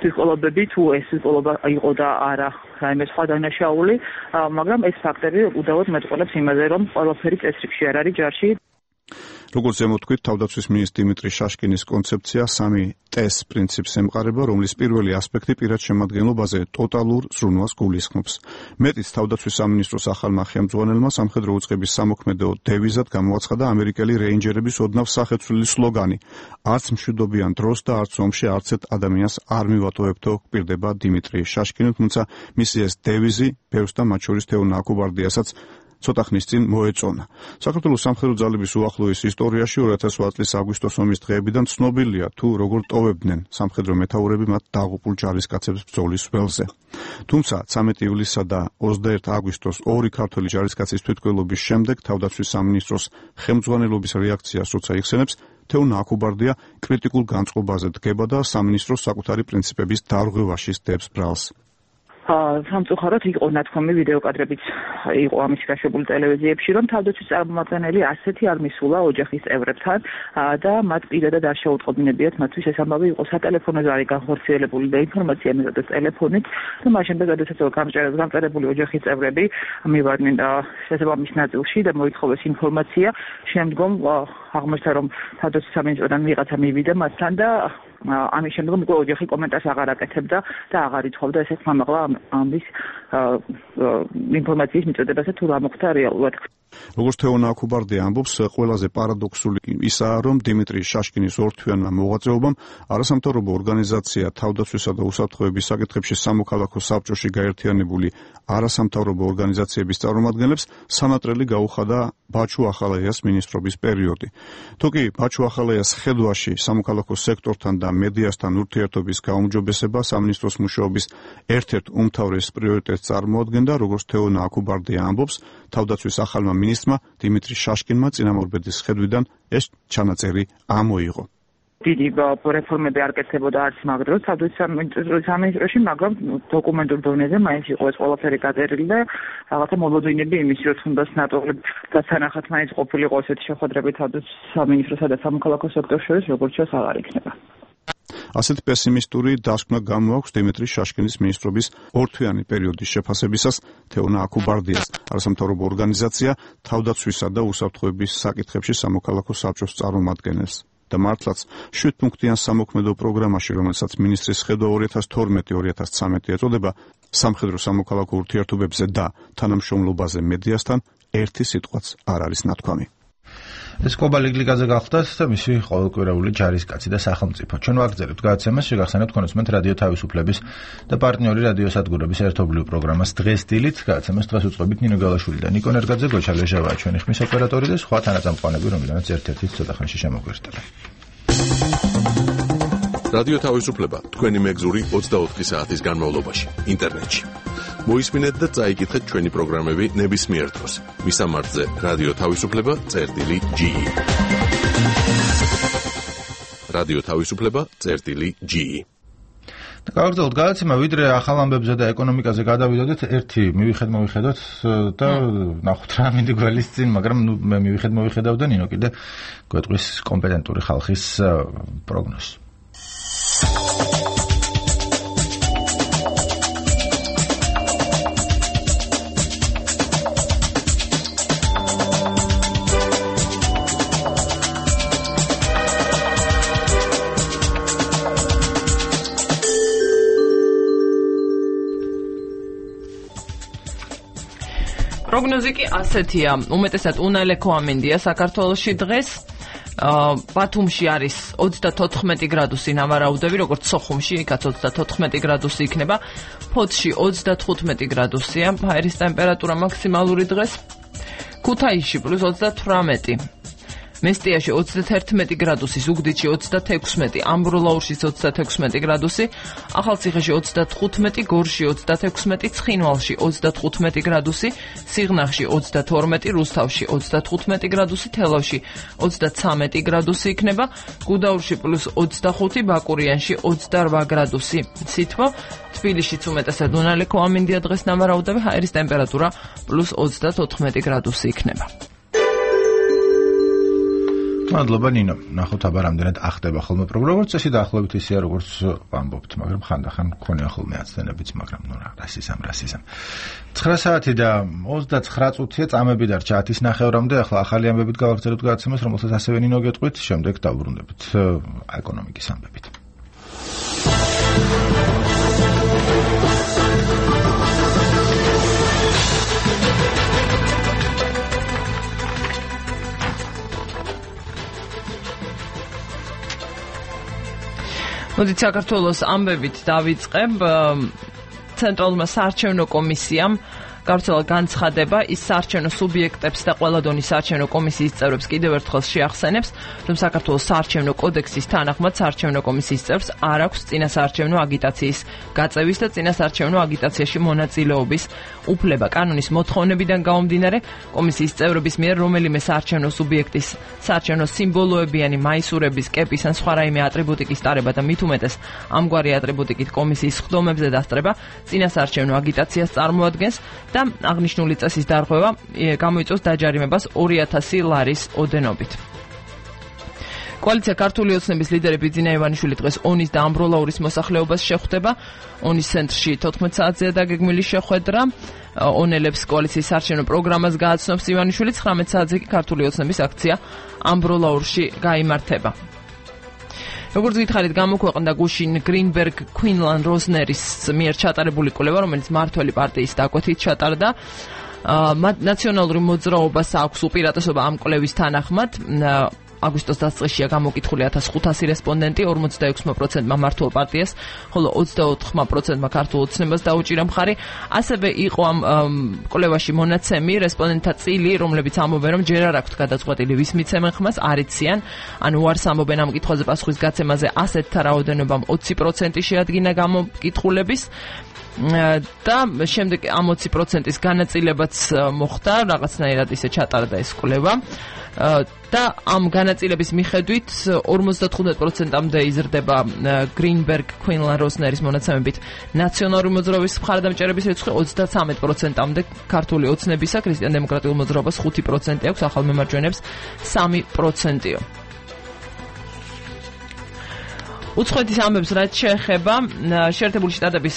ტვირთყოლობები, თუ ეს ტვირთყოლობა იყო და არა რაიმე სხვა დანაშაული, მაგრამ ეს ფაქტები უდავოდ მეტყველებს იმაზე, რომ ყველაფერი წესრიგში არ არის ჯარში. როგორც ზემოთქვით, თავდაცვის მინისტრი დიმიტრი შაშკინის კონცეფცია 3T-ს პრინციპს ემყარება, რომლის პირველი ასპექტი პირად შემადგენლობაზე ტოტალურ ზრუნვას გულისხმობს. მეტიც, თავდაცვის სამინისტროს ახალმა ხელმძღვანელმა სამხედრო უწყების სამოქმედო დევიზად გამოაცხადა ამერიკელი რეინჯერების ოდნავ სახეცვლილი სლოგანი: არც მშვიდობიან დროს და არც ომში არც ერთ ადამიანს არ მივატოვებთო, გვპირდება დიმიტრი შაშკინი, თუმცა მისი ეს დევიზი ბევრს და მათ შორის თეონა აქუბარდიასაც ცოტა ხნის წინ მოეწონა. საქართველოს სამხედრო ძალების უახლოეს ისტორიაში 2008 წლის აგვისტოს ომის დღეებიდან ცნობილია თუ როგორ ტოვებდნენ სამხედრო მეთაურები მათ დაღუპულ ჯარისკაცებს ბრძოლის ველზე. თუმცა 13 ივლისსა და 21 აგვისტოს ორი ქართველი ჯარისკაცის თვითმკვლელობის შემდეგ თავდაცვის სამინისტროს ხელმძღვანელობის რეაქციას როცა იხსენებს, თეონა აქუბარდია კრიტიკულ განწყობაზე დგება და სამინისტროს საკუთარი პრინციპების დარღვევაში სდებს ბრალს. სამწუხაროდ იყო ნათქვამი ვიდეოკადრებიც იყო ამის გაშვებული ტელევიზიებში, რომ თავდაცვის წარმომადგენელი ასეთი არ მისულა ოჯახის წევრებთან და მათ პირადად არ შეუტყობინებიათ მათთვის ეს ამბავი იყო სატელეფონოზე არის განხორციელებული და ინფორმაცია მიღეს ტელეფონით და მას შემდეგ როდესაც გამწერებული ოჯახის წევრები მივარდნენ შესაბამის ნაწილში და მოითხოვეს ინფორმაცია, შემდგომ აღმოჩნდა რომ თავდაცვის სამინისტროდან ვიღაცა მივიდა მასთან და ამის შემდგომ უკვე ოჯახი კომენტარს აღარ აკეთებდა და აღარ ითხოვდა ესეც მამაღლა ამის ინფორმაციის მიწოდებასა თუ რა მოხდა რეალურად. როგორც თეონა აქუბარდია ამბობს, ყველაზე პარადოქსული ისაა, რომ დიმიტრი შაშკინის ორთვიანმა მოღვაწეობამ არასამთავრობო ორგანიზაცია თავდაცვისა და უსაფრთხოების საკითხებში სამოქალაქო საბჭოში გაერთიანებული არასამთავრობო ორგანიზაციების წარმომადგენლებს სანატრელი გაუხადა ბაჩუ ახალაიას მინისტრობის პერიოდი. თუკი ბაჩუ ახალაიას ხედვაში სამოქალაქო სექტორთან და მედიასთან ურთიერთობის გაუმჯობესება სამინისტროს მუშაობის ერთ-ერთ უმთავრეს პრიორიტეტს წარმოადგენდა, როგორც თეონა აქუბარდია ამბობს, თავდაცვის ახალმა მინისტრმა დიმიტრი შაშკინმა წინამორბედის ხედვიდან ეს ჩანაწერი ამოიღო. დიდი რეფორმები არ კეთდებოდა არც მაგდროს თავდაცვის სამინისტროში, მაგრამ დოკუმენტურ დონეზე მაინც იყო ეს ყველაფერი გაწერილი და რაღაცა მოლოდინები იმის, რომ თუნდაც ნატოლებ და თანახად მაინც ყოფილიყო ესეთი შეხვედრები თავდაცვის სამინისტროსა და სამოქალაქო სექტორს შორის, როგორც ჩანს აღარ იქნება. ასეთ პესიმისტური დასკვნა გამოაქვს დიმიტრი შაშკინის მინისტრობის ორთვიანი პერიოდის შეფასებისას თეონა აქუბარდიას არასამთავრობო ორგანიზაცია თავდაცვისა და უსაფრთხოების საკითხებში სამოქალაქო საბჭოს წარმომადგენელს. და მართლაც 7 პუნქტიან სამოქმედო პროგრამაში, რომელსაც მინისტრის ხედვა 2012-2013 ეწოდება, სამხედრო სამოქალაქო ურთიერთობებზე და თანამშრომლობაზე მედიასთან ერთი სიტყვაც არ არის ნათქვამი. ეს კობა ლიგლიგაძე გახლდათ და მისი ყოველკვირეული ჯარისკაცი და სახელმწიფო. ჩვენ ვაგრძელებთ გადაცემას, შეგახსენებთ კონსუმენტ რადიო თავისუფლების და პარტნიორი რადიო სადგურების ერთობლივ პროგრამას დღეს დილით. გადაცემას დღეს უწყობით ნინო გალაშვილი და ნიკო ნერგაძე, გოჩა ლეჟავაა ჩვენი ხმის ოპერატორი და სხვა თანაწამყვანები, რომლიანაც ერთ-ერთი ცოტა ხანში შემოგვერდება. რადიო თავისუფლება თქვენი მეგზური 24 საათის განმავლობაში ინტერნეტში. მოისმინეთ და წაიკითხეთ ჩვენი პროგრამები ნებისმიერ დროს. მისამართზე რადიო თავისუფლება.ge. რადიო თავისუფლება.ge. გავაგრძელოთ გადაცემა, ვიდრე ახალ ამბებზე და ეკონომიკაზე გადავიდოდეთ, ერთი მივიხედოთ და ნახოთ რა მინდა გველის წინ, მაგრამ მე მივიხედავ და ნინო კიდე გვეტყვის კომპეტენტური ხალხის პროგნოზს. პროგნოზი კი ასეთია, უმეტესად უნალექო ამინდია საქართველოში დღეს. ბათუმში არის 34 გრადუსი ნავარაუდები, როგორც სოხუმში, იქაც 34 გრადუსი იქნება. ფოთში 35 გრადუსია, ჰაერის ტემპერატურა მაქსიმალური დღეს. ქუთაისში +28. მესტიაში 31 გრადუსი, ზუგდიდში 36, ამბროლაურში 36 გრადუსი, ახალციხეში 35, გორში 36, ცხინვალში 35 გრადუსი, სიღნაღში 32, რუსთავში 35 გრადუსი, თელავში 33 გრადუსი იქნება, გუდაურში +25, ბაკურიანში 28 გრადუსი. სითბო თბილისშიც უმეტესად უნალექო ამინდია დღეს ნავარაუდები, ჰაერის ტემპერატურა +34 გრადუსი იქნება. მადლობა ნინო. ნახოთ აბა რამდენად ახდება ხოლმე პროგრამა, როგორც წესი დაახლოებით ისეა როგორც ვამბობთ, მაგრამ ხანდახან გქონია ხოლმე აცდენებიც, მაგრამ ნუ რა, რასისამ. 9 საათი და 29 წუთია, წამები დარჩა 10:30-მდე, ახლა ახალი ამბებით გავაგრძელებთ გადაცემას, რომელსაც ასევე ნინო გეტყვით, შემდეგ დავბრუნდებით ეკონომიკის ამბებით. მოდით საქართველოს ამბებით დავიწყებ. ცენტრალურმა საარჩევნო კომისიამ გავრცელა განცხადება ის საარჩევნო სუბიექტებს და ყველა დონის საარჩევნო კომისიის წევრებს კიდევ ერთხელ შეახსენებს, რომ საქართველოს საარჩევნო კოდექსის თანახმად საარჩევნო კომისიის წევრს არ აქვს წინასაარჩევნო აგიტაციის გაწევის და წინასაარჩევნო აგიტაციაში მონაწილეობის უფლება. კანონის მოთხოვნებიდან გამომდინარე, კომისიის წევრების მიერ რომელიმე საარჩევნო სუბიექტის საარჩევნო სიმბოლოებიანი მაისურების, კეპის ან სხვა რაიმე ატრიბუტიკის ტარება და მით უმეტეს ამგვარი ატრიბუტიკით კომისიის სხდომებზე დასწრება წინასაარჩევნო აგიტაციას წარმოადგენს და აღნიშნული წესის დარღვევა გამოიწვევს დაჯარიმებას 2000 ლარის ოდენობით. კოალიცია ქართული ოცნების ლიდერი ბიძინა ივანიშვილი დღეს ონის და ამბროლაურის მოსახლეობას შეხვდება. ონის ცენტრში 14 საათზეა დაგეგმილი შეხვედრა. ონელებს კოალიციის საარჩევნო პროგრამას გააცნობს ივანიშვილი, 19 საათზე კი ქართული ოცნების აქცია ამბროლაურში გაიმართება. როგორც გითხარით, გამოქვეყნდა გუშინ გრინბერგ ქვინლან როზნერის მიერ ჩატარებული კვლევა, რომელიც მმართველი პარტიის დაკვეთით ჩატარდა. ნაციონალური მოძრაობას აქვს უპირატესობა ამ კვლევის თანახმად. აგვისტოს დასაწყისშია გამოკითხული 1500 რესპონდენტი, 46%-მა მმართველ პარტიას, ხოლო 24%-მა ქართულ ოცნებას დაუჭირა მხარი. ასევე იყო ამ კვლევაში მონაცემი რესპონდენტთა წილი, რომლებიც ამბობენ, რომ ჯერ არ აქვთ გადაწყვეტილი ვის მიცემენ ხმას, არ იციან, ანუ უარს ამბობენ ამ კითხვაზე პასუხის გაცემაზე, ასეთთა რაოდენობამ 20% შეადგინა გამოკითხულების. და შემდეგ ამ 20%-ის განაწილებაც მოხდა, რაღაცნაირად ისე ჩატარდა ეს კვლევა. და ამ განაწილების მიხედვით 55%-მდე იზრდება გრინბერგ ქვინლან როზნერის მონაცემებით ნაციონალური მოძრაობის მხარდამჭერების რიცხვი, 33%-მდე ქართული ოცნებისა, ქრისტიან-დემოკრატიულ მოძრაობას 5% აქვს, ახალ მემარჯვენეებს 3%-ო. უცხოეთის ამბებს რაც შეეხება შეერთებული შტატების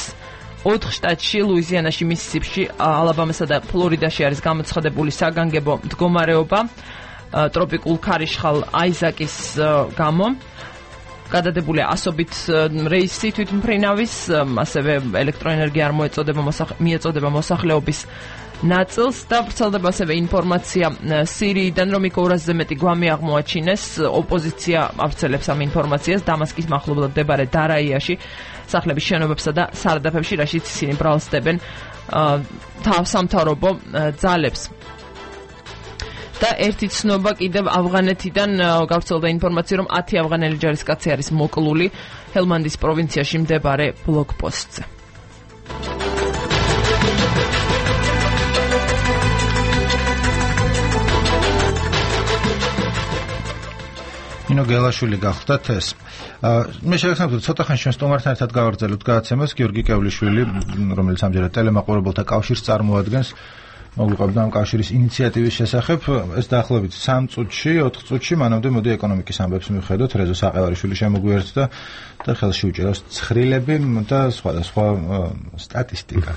4 შტატში, ლუიზიანაში, მისისიპში, ალაბამასა და ფლორიდაში არის გამოცხადებული საგანგებო მდგომარეობა ტროპიკულ ქარიშხალ აიზაკის გამო. გადადებულია ასობით რეისი თვითმფრინავის, ასევე ელექტროენერგია არ მიეწოდება მოსახლეობის ნაწილს და ვრცელდება ასევე ინფორმაცია სირიიდან, რომ იქ 200-ზე მეტი გვამი აღმოაჩინეს. ოპოზიცია ავრცელებს ამ ინფორმაციას დამასკის მახლობლად მდებარე დარაიაში, სახლების შენობებსა და სარდაფებში, რაშიც ისინი ბრალსდებენ სამთავრობო ძალებს. და ერთი ცნობა კიდევ ავღანეთიდან გავრცელდა ინფორმაცია, რომ 10 ავღანელი ჯარისკაცი არის მოკლული ჰელმანდის პროვინციაში მდებარე ბლოკპოსტზე. ნინო გელაშვილი გახლდათ ეს. მე შეგახსენებთ, ცოტა ხანს ჩვენ სტუმართან ერთად გავაგრძელებთ გადაცემას. გიორგი კევლიშვილი, რომელიც ამჯერად ტელემაყურებელთა კავშირს წარმოადგენს, მოგვიყვებდა ამ კავშირის ინიციატივის შესახებ. ეს დაახლოებით 3 წუთში, 4 წუთში მანამდე მოდი ეკონომიკის ამბებს მივხედოთ. რეზო საყევარიშვილი შემოგვიერთდა და ხელში უჭირავს ცხრილები და სხვადასხვა სტატისტიკა.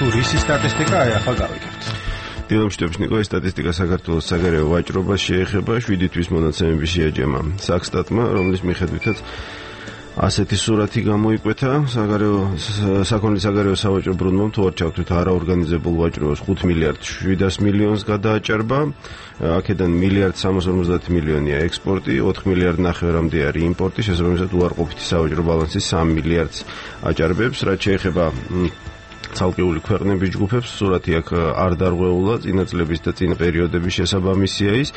ტურისტის სტატისტიკა ახლა გავიგებთ. დილომშვიდობის ნიკო, ეს სტატისტიკა საქართველოს საგარეო ვაჭრობას შეეხება 7 თვის მონაცემების შეაჯამა საქსტატმა, რომლის მიხედვითაც ასეთი სურათი გამოიკვეთა საქონლის საგარეო სავაჭრო ბრუნვამ თუ არ ჩავთვლით არაორგანიზებულ ვაჭრობას 5 მილიარდ 700 მილიონს გადააჭარბა. აქედან 1 მილიარდ 350 მილიონია ექსპორტი, 4 მილიარდ ნახევრამდე არის იმპორტი, შესაბამისად უარყოფითი სავაჭრო ბალანსი 3 მილიარდს აჭარბებს. რაც შეეხება ცალკეული ქვეყნების ჯგუფებს, სურათი აქ არ დარღვეულა, წინა წლების და წინა პერიოდების შესაბამისია ის.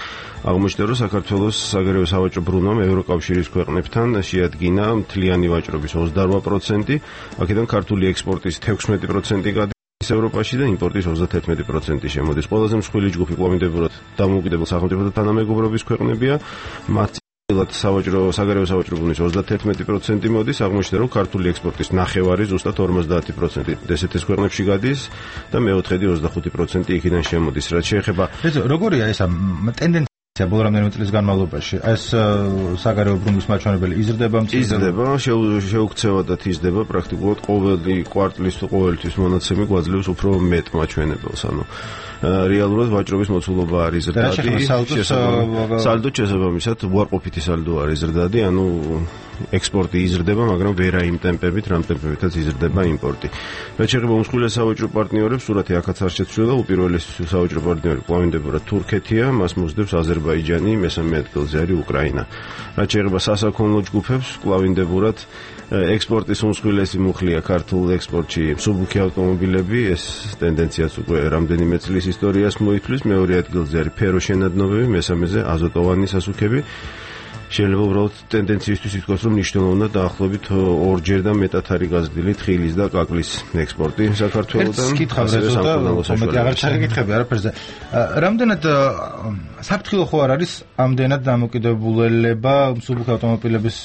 აღმოჩნდა, რომ საქართველოს საგარეო სავაჭრო ბრუნვამ ევროკავშირის ქვეყნებთან შეადგინა მთლიანი ვაჭრობის 28%, აქედან ქართული ექსპორტის 16% გადის ევროპაში და იმპორტის 31% შემოდის. ყველაზე მსხვილი ჯგუფი კვლავინდებურად დამოუკიდებელ სახელმწიფოთა თანამეგობრობის ქვეყნებია, მათ საგარეო სავაჭრო ბრუნვის 31% მოდის, აღმოჩნდა, რომ ქართული ექსპორტის ნახევარი ზუსტად 50% ესეთის ქვეყნებში გადის და მეოთხედი 25% იქიდან შემოდის. რაც შეეხება როგორია ეს ტენდენცია ბოლო რამდენიმე წლის განმავლობაში? ეს საგარეო ბრუნვის მაჩვენებელი იზრდება, შეუქცევადად იზრდება, პრაქტიკულად ყოველი კვარტლის თუ ყოველთვის მონაცემი გვაძლევს უფრო მეტ მაჩვენებელს, ანუ რეალურად ვაჭრობის მოცულობა არის ზრდადი, სალდო შესაბამისად უარყოფითი სალდო არის ზრდადი, ანუ ექსპორტი იზრდება, მაგრამ ვერა იმ ტემპებით, რამ ტემპებითაც იზრდება იმპორტი. რაც შეეხება უმსხვილეს სავაჭრო პარტნიორებს, სურათი აქაც არ შეცვლილა, უპირველესი სავაჭრო პარტნიორი კვლავინდებურად თურქეთია, მას მოსდევს აზერბაიჯანი, მესამე ადგილზე არის უკრაინა. რაც შეეხება სასაქონლო ჯგუფებს, კვლავინდებურად ექსპორტის უმსხვილესი მუხლია ქართულ ექსპორტში მსუბუქი ავტომობილები, ეს ტენდენციაც უკვე რამდენიმე წლის ისტორიას მოითვლის, მეორე ადგილზე არის ფეროშენადნობები, მესამეზე აზოტოვანი სასუქები. შეიძლება უბრალოდ ტენდენციისთვის ითქვას, რომ მნიშვნელოვნად დაახლოებით 2-ჯერ და მეტად არის გაზრდილი თხილის და კაკლის ექსპორტი საქართველოდან. კითხავ აღარ ჩაგეკითხები არაფერზე. რამდენად საფრთხილო ხო არ არის ამდენად დამოკიდებულება მსუბუქი ავტომობილების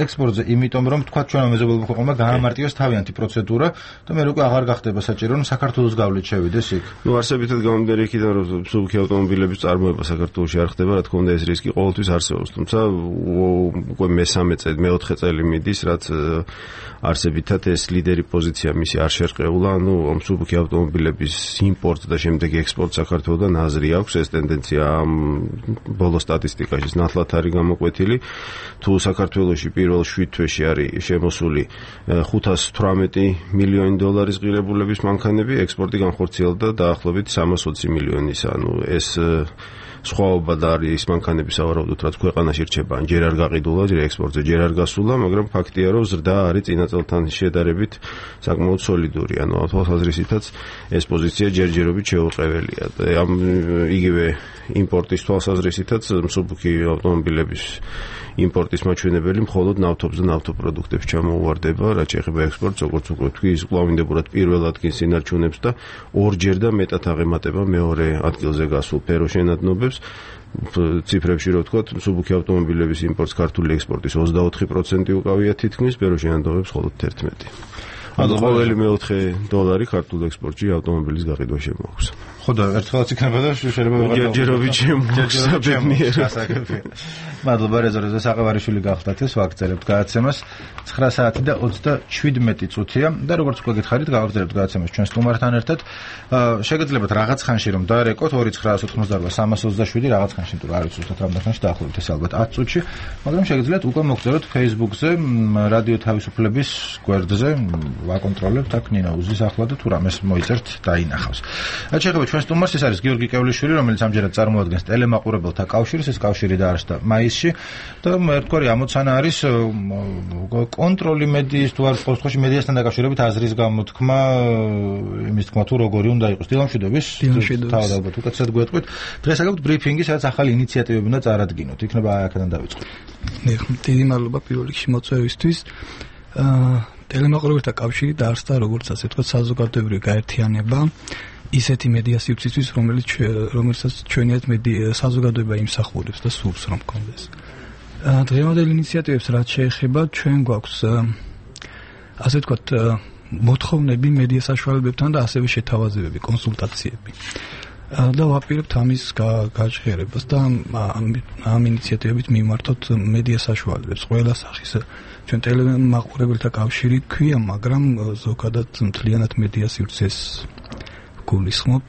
ექსპორტზე, იმიტომ რომ თქვა ჩვენ მეზობელმა ქვეყნებმა გაამარტივეს თავიანთი პროცედურა და მე უკვე აღარ გახდება საჭირო, რომ საქართველოს გავლით შევიდეს იქ. არსებითად გამომდინარე იქიდან, რომ მსუბუქი ავტომობილების წარმოება საქართველოში არ ხდება, რა თქმა უნდა ეს რისკი ყოველთვის არსებობს, თუმცა უკვე მეოთხე წელი მიდის, რაც არსებითად ეს ლიდერი პოზიცია მისი არ შერყეულა, ანუ მსუბუქი ავტომობილების იმპორტ და შემდეგ ექსპორტ საქართველოდან აზრი აქვს, ეს ტენდენცია ბოლო სტატისტიკაში ნათლად არის გამოკვეთილი. თუ საქართველოში პირველ 7 თვეში არის შემოსული 518 მილიონი დოლარის ღირებულების მანქანები, ექსპორტი განხორციელდა დაახლოებით 320 მილიონის, ანუ ეს სხვაობა და არის ის მანქანები სავარაუდოდ, რაც ქვეყანაში რჩება, ჯერ არ გაყიდულა, ჯერ ექსპორტზე ჯერ არ გასულა, მაგრამ ფაქტია, რომ ზრდა არის წინა წელთან შედარებით საკმაოდ სოლიდური, ანუ თვალსაზრისითაც ეს პოზიცია ჯერჯერობით შეუყეველია. ამ იგივე იმპორტის თვალსაზრისითაც მსუბუქი ავტომობილების იმპორტის მაჩვენებელი მხოლოდ ნავთობს და ნავთობპროდუქტებს ჩამოუვარდება, რაც შეეხება ექსპორტს, როგორც უკვე თქვი, ის კვლავინდებურად პირველ ადგილს ინარჩუნებს და 2-ჯერ და მეტად აღემატება მეორე ადგილზე გასულ ფეროშენადნობებს. ციფრებში რო ვთქვათ, მსუბუქი ავტომობილების იმპორტს ქართული ექსპორტის 24% უკავია თითქმის, ფეროშენადნობებს მხოლოდ 11%. ანუ ყოველი მეოთხე დოლარი ქართულ ექსპორტში ავტომობილის გაყიდვა შემოაქვს. ხო და ერთხელაც იქნება და შეიძლება ჯერჯერობით შემოგვსაბედნიერებს. მადლობა რეზერვზე საყევარიშვილი გახდათ ეს ვაგრძელებთ გადაცემას 9 საათი და 27 წუთია და როგორც უკვე გითხარით გავაგრძელებთ გადაცემას ჩვენ სტუმართან ერთად. შეგეძლებათ რაღაც ხანში რომ დაარეკოთ 2988 327 რაღაც ხანში, თუ არ ვიცი ზუსტად რამდენ ხანში დაახლოებით ეს ალბათ 10 წუთში, მაგრამ შეგეძლებათ უკვე მოგწეროთ Facebook-ზე რადიო თავისუფლების გვერდზე, ვაკონტროლებთ აქ ნინა უზის ახლა და თუ რამეს მოიწერთ დაინახავს. რაც შეეხება ჩვენ სტუმარს, ეს არის გიორგი კევლიშვილი, რომელიც ამჯერად წარმოადგენს ტელემაყურებელთა კავშირს, ეს კავშირი დაარსდა მაისში და ერთგვარი ამოცანა არის კონტროლი მედიის თუ არის ყოველთვის მედიასთან დაკავშირებით აზრის გამოთქმა, იმის თქმა თუ როგორი უნდა იყოს. დილამშვიდობის. თავად ალბათ უკეთესად გვეტყვით. დღეს აგებთ ბრიფინგი, სადაც ახალი ინიციატივები უნდა წარადგინოთ. იქნება აქედან დავიწყოთ. დიდი მადლობა პირველ რიგში მოწვევისთვის. ტელემაყურებელთა კავშირი დაარსდა როგორც ასე ვთქვათ საზოგადოებრივი გაერთიანება ისეთი მედია სივრცისთვის, რომელსაც ჩვენიათ საზოგადოება იმსახურებს და სურს რომ გქონდეს. დღევანდელ ინიციატივებს რაც შეეხება, ჩვენ გვაქვს ასე ვთქვათ მოთხოვნები მედია საშუალებებთან და ასევე შეთავაზებები, კონსულტაციები. და ვაპირებთ ამის გაჟღერებას და ამ ინიციატივებით მიმართოთ მედია საშუალებებს. ყველა სახის ჩვენ ტელემაყურებელთა კავშირი ქვია, მაგრამ ზოგადად მთლიანად მედია სივრცეს გულისხმობთ,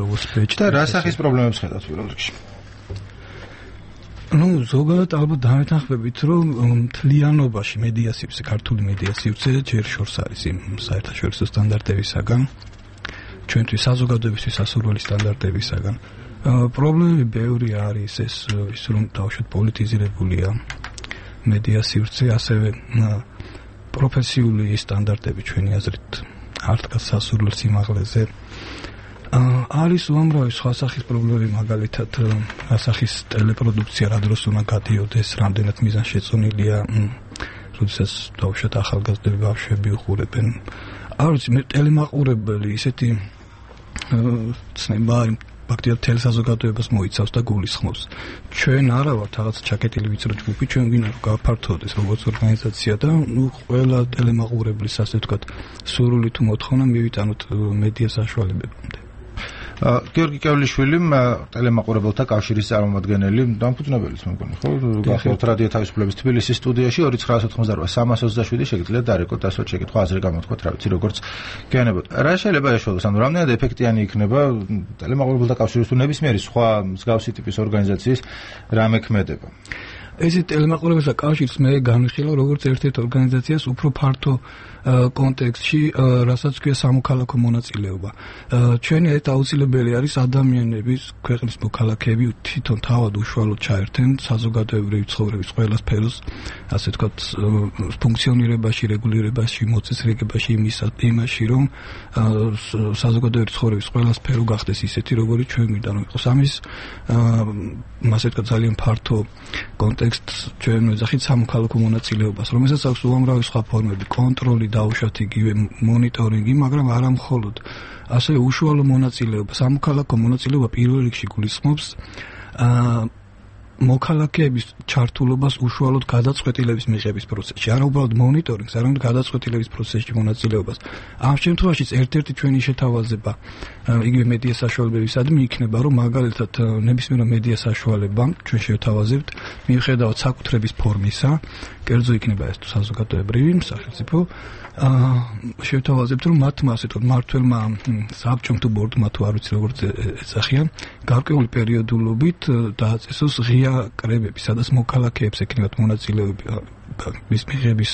როგორც პეჭ და რა სახის პრობლემებს ხედავთ პირველ რიგში? ზოგადად ალბათ დამეთანხმებით, რომ მთლიანობაში მედია სივრცე, ქართული მედია სივრცე ჯერ შორს არის იმ საერთაშორისო სტანდარტებისაგან, ჩვენთვის საზოგადოებისთვის სასურველი სტანდარტებისაგან. პრობლემები ბევრი არის, ის რომ თავშოთ პოლიტიზირებულია მედია სივრცე, ასევე პროფესიული სტანდარტები ჩვენი აზრით არ დგას სასურველ სიმაღლეზე. არის უამრავი სხვა სახის პრობლემები, მაგალითად ასახის ტელეპროდუქცია რა დროს უნდა გადიოდეს, რამდენად მიზანშეწონილია, როდესაც დაუშვათ ახალგაზრდები ბავშვები უყურებენ. არ ვიცი, მე ტელემაყურებელი ისეთი ცნება ფაქტია თელ საზოგადოებას მოიცავს და გულისხმობს. ჩვენ არა ვართ რაღაც ჩაკეტილი ვიწრო ჯგუფი, ჩვენ ვინ არ გავფართოვდეს როგორც ორგანიზაცია და ყველა ტელემაყურებლის ასე ვთქვათ სურვილი თუ მოთხოვნა მივიტანოთ მედია საშუალებებამდე. გიორგი კევლიშვილი, ტელემაყურებელთა კავშირის წარმომადგენელი, დამფუძნებელიც მეგონი, ხო? გახსოვთ რადიო თავისუფლების თბილისის სტუდიაში 2988-327 შეგიძლიათ დარეკოთ ასოთ შეკითხვა აზრი გამოთქვათ, რა ვიცი, როგორც გეანებოთ. რა შეიძლება ეშველოს, ანუ რამდენად ეფექტიანი იქნება ტელემაყურებელთა კავშირის თუ ნებისმიერი სხვა მსგავსი ტიპის ორგანიზაციის რამექმედება? ეს ტელემაყურებელთა კავშირს მე განვიხილავ როგორც ერთ-ერთ ორგანიზაციას უფრო ფართო კონტექსტში, რასაც ქვია სამოქალაქო მონაწილეობა. ჩვენი ერთ აუცილებელი არის ადამიანების, ქვეყნის მოქალაქეები თვითონ თავად უშუალოდ ჩაერთენ საზოგადოებრივი ცხოვრების ყველა სფეროს, ასე ვთქვათ, ფუნქციონირებაში, რეგულირებაში, მოწესრიგებაში, იმაში, რომ საზოგადოებრივი ცხოვრების ყველა სფერო გახდეს ისეთი, როგორიც ჩვენ გვინდა რომ იყოს. ამის ასე ვთქვათ, ძალიან ფართო კონტექსტს ჩვენ ვეძახით სამოქალაქო მონაწილეობას, რომელსაც აქვს უამრავი სხვა ფორმები, კონტროლი, დაუშვათ იგივე მონიტორინგი, მაგრამ არა მხოლოდ. ასევე უშუალო მონაწილეობა, სამოქალაქო მონაწილეობა პირველ რიგში გულისხმობს მოქალაქეების ჩართულობას უშუალოდ გადაწყვეტილების მიღების პროცესში. არა უბრალოდ მონიტორინგს, არამედ გადაწყვეტილების პროცესში მონაწილეობას. ამ შემთხვევაში ერთ-ერთი ჩვენი შეთავაზება იგივე მედია საშუალებებისადმი იქნება, რომ მაგალითად ნებისმიერ მედია საშუალება ჩვენ შევთავაზებთ მიუხედავად საკუთრების ფორმისა, კერძო იქნება ეს თუ საზოგადოებრივი სახელმწიფო, შევთავაზებთ, რომ მათმა ასე ვთქვათ მმართველმა საბჭომ თუ ბორდმა თუ არ ვიცი როგორც ეძახიან, გარკვეული პერიოდულობით დააწესოს ღია კრებები, სადაც მოქალაქეებს ექნებათ მონაწილეობა მის მიღების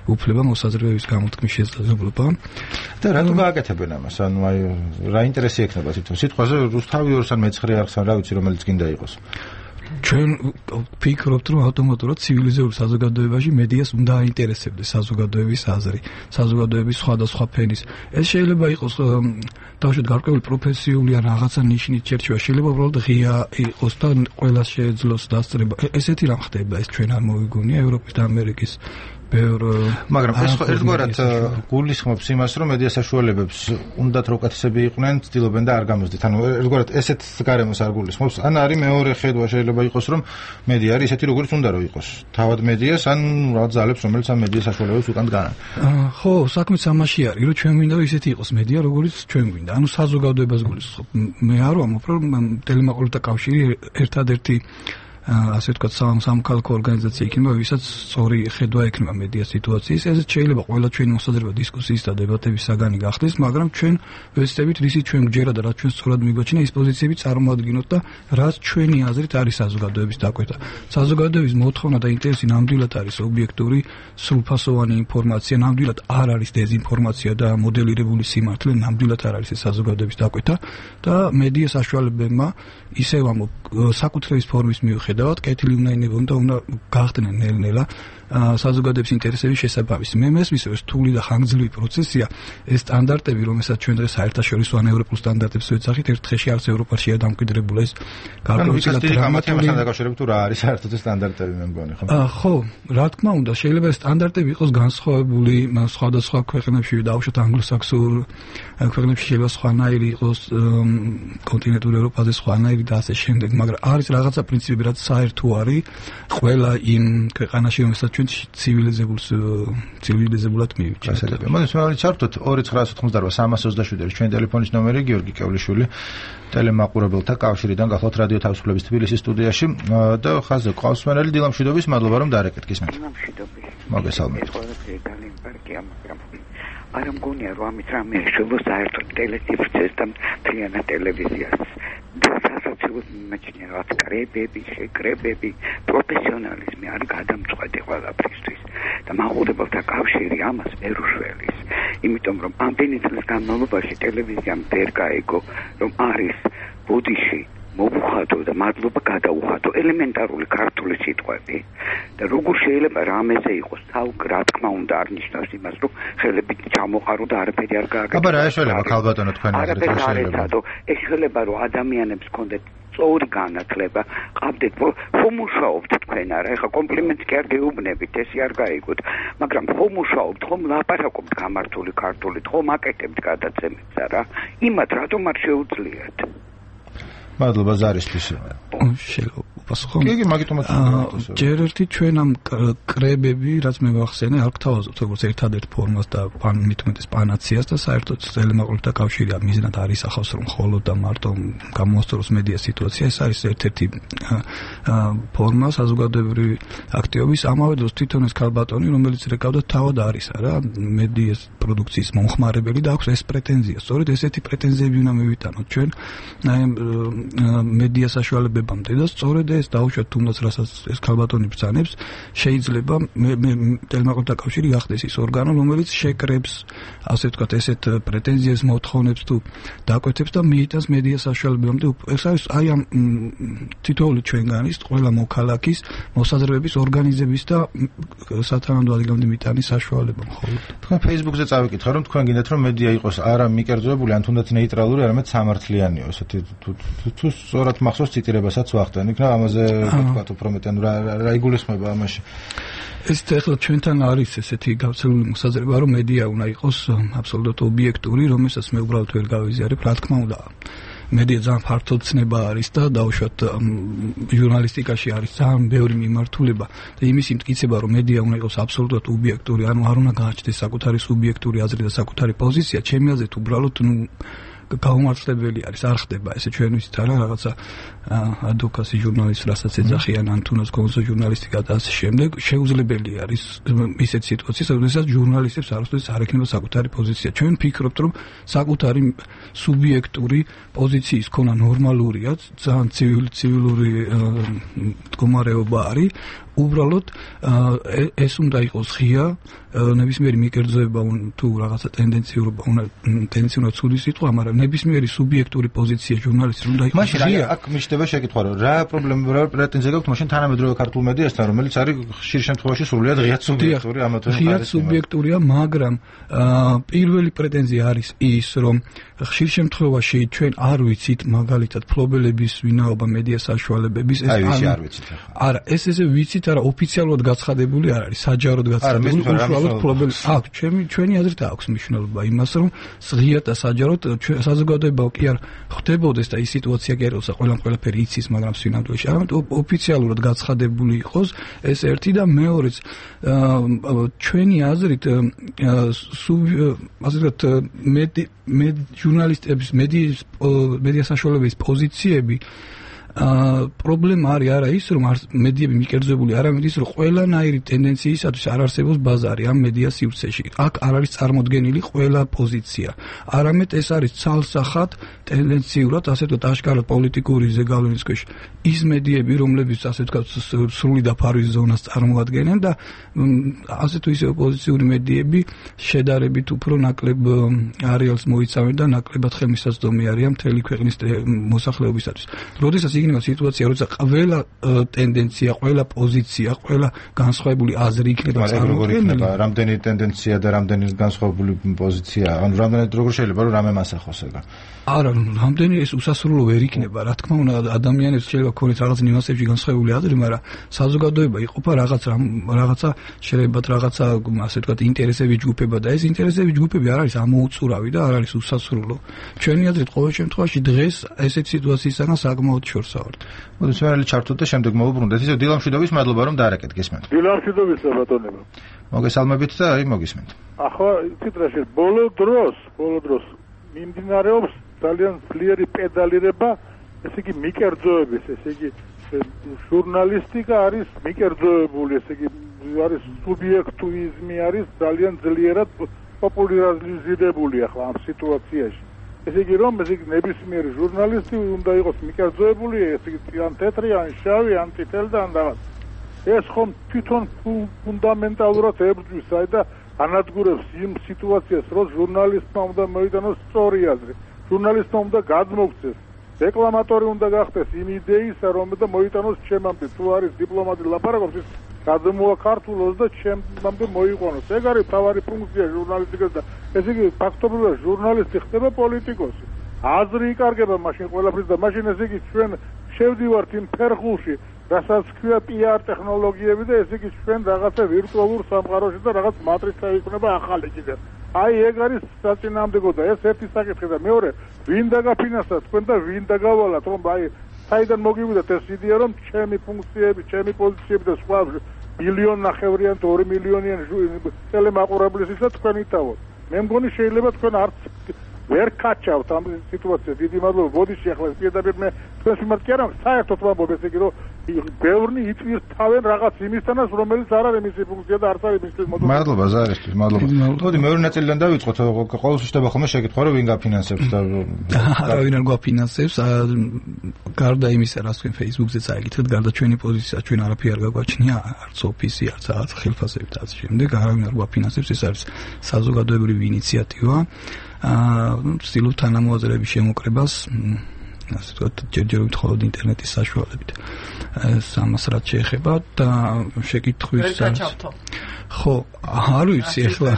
უფლება, მოსაზრებების გამოთქმის შესაძლებლობა. და რატომ გააკეთებენ ამას? ანუ აი რა ინტერესი ექნება თვითონ სიტყვაზე რუსთავი ორს ან მეცხრე არხს ან რა ვიცი რომელიც გინდა იყოს. ჩვენ ვფიქრობთ, რომ ავტომატურად ცივილიზებულ საზოგადოებაში მედიას უნდა აინტერესებდეს საზოგადოების აზრი, საზოგადოების სხვადასხვა ფენის. ეს შეიძლება იყოს დავუშვათ გარკვეული პროფესიული ან რაღაცა ნიშნით შერჩევა, შეიძლება უბრალოდ ღია იყოს და ყველას შეეძლოს დასწრება. ესეთი რამ ხდება, ეს ჩვენ არ მოვიგონია ევროპის და ამერიკის მაგრამ ეს ერთგვარად გულისხმობს იმას, რომ მედია საშუალებებს უნდათ რო უკეთესები იყვნენ, ცდილობენ და არ გამოსდით. ანუ ერთგვარად ესეთ გარემოს არ გულისხმობს. ან არის მეორე ხედვა, შეიძლება იყოს, რომ მედია არის ისეთი, როგორც უნდა რომ იყოს. თავად მედიას ან რაღაც ძალებს, რომელიც ამ მედია საშუალებებს უკან დგანან. ხო, საქმეც ამაში არის, რომ ჩვენ მინდა რომ ისეთი იყოს მედია, როგორც ჩვენ გვინდა. ანუ საზოგადოებას გულისხმობ. მე არ ვამბობ, რომ ტელემაყურებელთა კავშირი ერთადერთი ასე ვთქვათ სამოქალაქო ორგანიზაცია იქნება, ვისაც სწორი ხედვა ექნება მედია სიტუაციის. ეს შეიძლება ყველა ჩვენი მოსაზრება დისკუსიის და დებატების საგანი გახდეს, მაგრამ ჩვენ ვეცდებით, რისი ჩვენ გჯერა და რაც ჩვენ სწორად მიგვაჩნია, ის პოზიციები წარმოადგინოთ და რაც ჩვენი აზრით არის საზოგადოების დაკვეთა. საზოგადოების მოთხოვნა და ინტერესი ნამდვილად არის ობიექტური, სრულფასოვანი ინფორმაცია, ნამდვილად არ არის დეზინფორმაცია და მოდელირებული სიმართლე, ნამდვილად არ არის ეს საზოგადოების დაკვეთა და მედია საშუალებებმა ისევ ამ საკუთრების ფორმის მიუხედავად კეთილი უნდა ინებონ და უნდა გახდნენ ნელ-ნელა საზოგადოების ინტერესების შესაბამისი. მე მესმის, რომ რთული და ხანგრძლივი პროცესია, ეს სტანდარტები, რომელსაც ჩვენ დღეს საერთაშორისო ან ევროპულ სტანდარტებს ვეძახით, ერთ დღეში არც ევროპაში არ დამკვიდრებულა ეს გარკვეული გამათემასთან დაკავშირებით თუ რა არის საერთოდ სტანდარტები მე მგონი, ხო? ხო, რა თქმა უნდა, შეიძლება ეს სტანდარტები იყოს განსხვავებული სხვადასხვა ქვეყნებში, დაუშვათ ანგლოსაქსონურ ქვეყნებში შეიძლება სხვანაირი იყოს, კონტინენტურ ევროპაზე სხვანაირი და ასე შემდეგ, მაგრამ არის რაღაცა პრინციპები, რაც საერთო არის ყველა იმ ქვეყანაში, რომელსაც ჩვენ ცივილიზებულად მივიჩნევთ. მოდით ჩავთვალოთ 2988-327 ჩვენი ტელეფონის ნომერი, გიორგი კევლიშვილი, ტელემაყურებელთა კავშირიდან გახლავთ რადიო თავისუფლების თბილისის სტუდიაში და ხაზზე ყავს მენელი დილამშვიდობის, მადლობა რომ დაარეკეთ გისმენთ. დილამშვიდობის. მოგესალმებით. ძალიან პარკია, მაგრამ არ მგონია რომ ამით რამე შეძლოს საერთოდ ტელეციფრს და მთლიანად ტელევიზიას. სასაცილოდ მიმაჩნია რა კრებები, შეკრებები, პროფესიონალიზმი არ გადამწყვეტი ყველაფრისთვის და მაყურებელთა კავშირი ამას ვერ უშველის. იმიტომ რომ ამდენი წლის განმავლობაში ტელევიზიამ ვერ გაიგო, რომ არის ბუდიში მოვუხადო და მადლობა გადაუხადო ელემენტარული ქართული სიტყვები და როგორ შეიძლება რამეზე იყოს რა თქმა უნდა არ ნიშნავს იმას რომ ხელებით ჩამოყარო და არაფერი არ გააკეთო. აბა რა ეშველება ქალბატონო თქვენ აზრით რა შეიძლება? ეშველება რომ ადამიანებს კონდეთ სწორი განათლება, ყავდეთ ხომ მუშაობთ თქვენ არა? ეხლა კომპლიმენტს კი არ გეუბნებით, ესე არ გაიგოთ, მაგრამ ხომ მუშაობთ, ხომ ლაპარაკობთ გამართული ქართულით, ხომ აკეთებთ გადაცემებს არა? იმათ რატომ არ შეუძლიათ? მადლობა ზარისთვის. კი, მაგიტომაც ჯერ ერთი ჩვენ ამ კრებები, რაც მე ვახსენე, არ გთავაზობთ როგორც ერთადერთ ფორმას და მithumetes პანაციას და საერთოდ ელემენტარული კავშირი მიზნად არ ისახავს რომ მხოლოდ და მარტო გამოასწოროს მედია სიტუაცია, ეს არის ერთ-ერთი ფორმა საზოგადოებრივი აქტივობის. ამავე დროს თვითონ ეს ქალბატონი, რომელიც რეკავდა თავად არის არა მედიის პროდუქციის მომხმარებელი და აქვს ეს პრეტენზია. სწორედ ესეთი პრეტენზიები უნდა მივიტანოთ ჩვენ მედია საშუალებებამდე და სწორედ ეს დაუშვათ თუნდაც რასაც ეს ქალბატონი ბრძანებს შეიძლება ელემენტარული კავშირი გახდეს ის ორგანო რომელიც შეკრებს ასე ვთქვათ ესეთ პრეტენზიებს მოთხოვნებს თუ დაკვეთებს და მიიტანს მედია საშუალებებამდე ეს არის აი ამ თითოეული ჩვენგანის ყველა მოქალაქის მოსაზრებების ორგანიზების და სათანადო ადგილამდე მიტანის საშუალება მხოლოდ თქვენ Facebook-ზე წავიკითხე რომ თქვენ გინდათ რომ მედია იყოს არა მიკერძოებული ან თუნდაც ნეიტრალური არამედ სამართლიანიო ესეთი თუ სწორად მახსოვს ციტირებასაც ვახდენ იქნა ამაზე ვთქვათ უფრო მეტად რა იგულისხმება ამაში ეს ახლა ჩვენთან არის ესეთი გავრცელებული მოსაზრება რომ მედია უნდა იყოს აბსოლუტურად ობიექტური რომელსაც მე უბრალოდ ვერ გავიზიარებ რა თქმა უნდა მედია ძალიან ფართო ცნება არის და დაუშვათ ჟურნალისტიკაში არის ძალიან ბევრი მიმართულება და იმის იმტკიცება რომ მედია უნდა იყოს აბსოლუტურად ობიექტური ანუ არ უნდა გააჩნდეს საკუთარი სუბიექტური აზრი და საკუთარი პოზიცია ჩემი აზრით უბრალოდ გაუმართლებელი არის არ ხდება ესე ჩვენ ვიცით არა რაღაცა ადვოკატი ჟურნალისტ რასაც ეძახიან ან თუნდაც კონსო ჟურნალისტიკა და ასე შემდეგ შეუძლებელი არის ისეთ სიტუაციას როდესაც ჟურნალისტებს არასდროს არ ექნება საკუთარი პოზიცია ჩვენ ვფიქრობთ რომ საკუთარი სუბიექტური პოზიციის ქონა ნორმალურია ძალიან ცივილური მდგომარეობა არის უბრალოდ ეს უნდა იყოს ღია ნებისმიერი მიკერძოება თუ რაღაცა ტენდენციურობა უნდა ცუდი სიტყვა მაგრამ ნებისმიერი სუბიექტური პოზიცია ჟურნალისტის უნდა იყოს ღია აქ მიჩნდება შეკითხვა რომ რა პრობლემა რა პრეტენზია გაქვთ მაშინ თანამედროვე ქართულ მედიასთან რომელიც არის ხშირ შემთხვევაში სრულიად ღიად სუბიექტური ამათვე ღიად სუბიექტურია მაგრამ პირველი პრეტენზია არის ის რომ ხშირ შემთხვევაში ჩვენ არ ვიცით მაგალითად ფლობელების ვინაობა მედია საშუალებების ეს არ ვიცით არა ეს ესე ვიცით არა ოფიციალურად გაცხადებული არ არის საჯაროდ გაცხადებული უშუალოდ ფლობელი აქვს ჩვენი აზრით აქვს მნიშვნელობა იმას რომ ღიად და საჯაროდ საზოგადოება კი არ ხდებოდეს და ის სიტუაცია კი არ იყოს ყველაფერი იცის მაგრამ სინამდვილეში არამედ ოფიციალურად გაცხადებული იყოს ეს ერთი და მეორეც ჩვენი აზრით ასეთ ჟურნალისტების მედია საშუალებების პოზიციები პრობლემა არის არა ის რომ მედიები მიკერძოებული არამედ ის რომ ყველანაირი ტენდენციისათვის არ არსებობს ბაზარი ამ მედია სივრცეში აქ არ არის წარმოდგენილი ყველა პოზიცია არამედ ეს არის ცალსახად ტენდენციურად ასე ვთქვათ აშკარად პოლიტიკური ზეგავლენის ქვეშ ის მედიები რომლებიც ასე ვთქვათ სრული დაფარვის ზონას წარმოადგენენ და ასე თუ ისე ოპოზიციური მედიები შედარებით უფრო ნაკლებ არეალს მოიცავენ და ნაკლებად ხელმისაწვდომი არიან მთელი ქვეყნის მოსახლეობისათვის როდესაც იქნება სიტუაცია, როცა ყველა ტენდენცია, ყველა პოზიცია, ყველა განსხვავებული აზრი იქნება წარმოქმნილი. რამდენი ტენდენცია და რამდენი განსხვავებული პოზიცია, ანუ რამდენად როგორ შეიძლება რომ რამე მასახოს ეგა? არა, რამდენი ეს უსასრულო ვერ იქნება, რა თქმა უნდა, ადამიანებს შეიძლება ქონდეს რაღაც ნიუანსებში განსხვავებული აზრი, მაგრამ საზოგადოება იყოფა რაღაცა შეიძლება რაღაცა ასე ვთქვათ ინტერესების ჯგუფება და ეს ინტერესების ჯგუფები არ არის ამოუწურავი და არ არის უსასრულო. ჩვენი აზრით ყოველ შემთხვევაში დღეს ესეთ სიტუაციისგან საკმაოდ შორსა ვართ. მოდი სვერალი ჩართოთ და შემდეგ მოვუბრუნდეთ. ისე დილამშვიდობის მადლობა რომ დაარეკეთ გესმენთ. დილამშვიდობის ბატონებო. მოგესალმებით და აი მოგისმენთ. ახლა ციტრაში ბოლო დროს მიმდინარეობს ძალიან ძლიერი პედალირება, ესე იგი მიკერძოების, ესე იგი ჟურნალისტიკა არის მიკერძოებული, ესე იგი არის სუბიექტუიზმი არის ძალიან ძლიერად პოპულარიზირებული ახლა ამ სიტუაციაში. ესე იგი რომ ესე იგი ნებისმიერი ჟურნალისტი უნდა იყოს მიკერძოებული, ესე იგი ან თეთრი, ან შავი, ან წითელი და ან რაღაც. ეს ხომ თვითონ ფუნდამენტალურად ებრძვის აი და ანადგურებს იმ სიტუაციას, რომ ჟურნალისტმა უნდა მოიტანოს სწორი აზრი. ჟურნალისტმა უნდა გადმოგვცეს რეკლამატორი უნდა გახდეს იმ იდეისა, რომ და მოიტანოს ჩემამდე, თუ არის დიპლომატი ლაპარაკობს, ის გადმოაქართულოს და ჩემამდე მოიყვანოს. ეგ არის თავარი ფუნქცია ჟურნალისტიკას და ესე იგი ფაქტობრივად ჟურნალისტი ხდება პოლიტიკოსი. აზრი იკარგება მაშინ ყველაფრის და მაშინ ესე იგი ჩვენ შევდივართ იმ ფერხულში, რასაც ქვია PR ტექნოლოგიები და ესე იგი ჩვენ რაღაცა ვირტუალურ სამყაროში და რაღაც მატრიცა იქნება ახალი კიდე. აი ეგ არის საწინააღმდეგო და ეს ერთი საკითხი და მეორე ვინ დაგაფინანსა თქვენ და ვინ დაგავალათ რომ აი საიდან მოგივიდათ ეს იდეა რომ ჩემი ფუნქციები, ჩემი პოზიციები და სხვა მილიონნახევრიან 2 მილიონიან ტელემაყურებლისათვის თქვენ იტავოთ. მე მგონი შეიძლება თქვენ არც ვერ კაჩავთ ამ სიტუაციას. დიდი მადლობა. ბოდიში ახლა პირდაპირ მე თქვენს მიმართ კი არა, საერთოდ ვამბობ ესე იგი რომ ბევრნი იწვირს თავენ რაღაც იმისთანაც რომელიც არ არის მისი ფუნქცია და არც არის მისთვის მოდული. მადლობა ზარისთვის, მადლობა. მოდი მეორე ნაწილიდან დავიწყოთ. ყოველთვის ხდება ხოლმე შეკითხვა რომ ვინ გაფინანსებს და ვინ არ გვაფინანსებს. გარდა იმისა, რაც თქვენ Facebook-ზე წაიკითხეთ, გარდა ჩვენი პოზიცია, ჩვენ არაფერი არ გაგვაჩნია, არც ოფისი, არც ხელფასები და ასე შემდეგ. არავინ არ გვაფინანსებს. ეს არის საზოგადოებრივი ინიციატივა. ვცდილობ თანამოაზრეების შემოკრებას, ასე ვთქვათ, ჯერჯერობით მხოლოდ ინტერნეტის საშუალებით. ამას რაც შეეხება და შეკითხვის ხო, არ ვიცი ახლა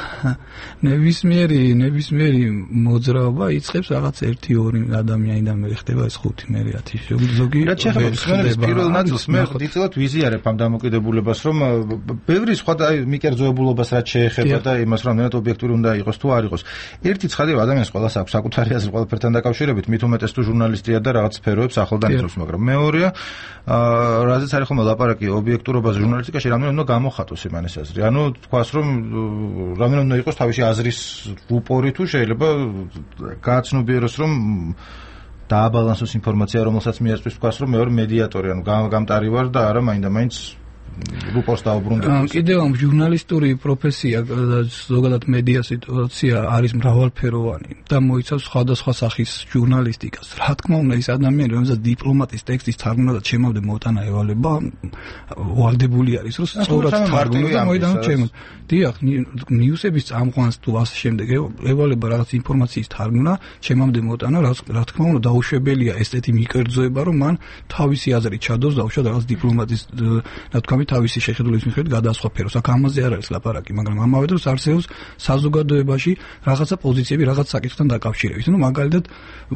ნებისმიერი მოძრაობა იწყებს რაღაც 1-2 ადამიანიდან მე ხდება ეს 5 მე 1000 ზოგი. რაც შეეხება მსმენელის პირველ ნაწილს მე დიდწილად ვიზიარებ ამ დამოკიდებულებას, რომ ბევრი სხვა მიკერძოებულობას რაც შეეხება და იმას რომ ნეტ ობიექტური უნდა იყოს თუ არ იყოს. ერთი ცხადია ადამიანს ყველას აქვს საკუთარი აზრი ყველაფერთან დაკავშირებით, მით უმეტეს თუ ჟურნალისტია და რაღაც სფეროებს ახლდან იცავს, მაგრამ მეორეა რაზეც არის ხოლმე ლაპარაკი ობიექტურობას ჟურნალისტიკაში, რამდენად უნდა გამოხატოს იმან ეს აზრი. ანუ თქვას რომ რამდენად უნდა იყოს თავისი აზრის რუპორი თუ შეიძლება გააცნობიეროს რომ დააბალანსოს ინფორმაცია რომელსაც მიაწვის თქვას რომ მეორე მედიატორი ანუ გამტარი ვარ და არა მაინდა-მაინც რუპორს დაუბრუნდები. კიდევ ამ ჟურნალისტური პროფესია და ზოგადად მედია სიტუაცია არის მრავალფეროვანი და მოიცავს სხვადასხვა სახის ჟურნალისტიკას. რა თქმა უნდა, ის ადამიანი, რომელსაც დიპლომატის ტექსტის თარგმნა და ჩემამდე მოტანა ევალება, ვალდებული არის, რომ სწორად თარგმნა და მოიტანო ჩემო. დიახ, ნიუსების წამყვანს თუ ასე შემდეგ ევალება რაღაც ინფორმაციის თარგმნა, ჩემამდე მოტანა, რა თქმა უნდა, დაუშვებელია ესეთი მიკერძოება, რომ მან თავისი აზრი ჩადოს დაუშვათ რაღაც დიპლომატის და თქვა თავისი შეხედულების მიხედვით გადაასხვაფეროს. აქ ამაზე არ არის ლაპარაკი, მაგრამ ამავე დროს არსებობს საზოგადოებაში რაღაცა პოზიციები რაღაც საკითხთან დაკავშირებით. ნუ მაგალითად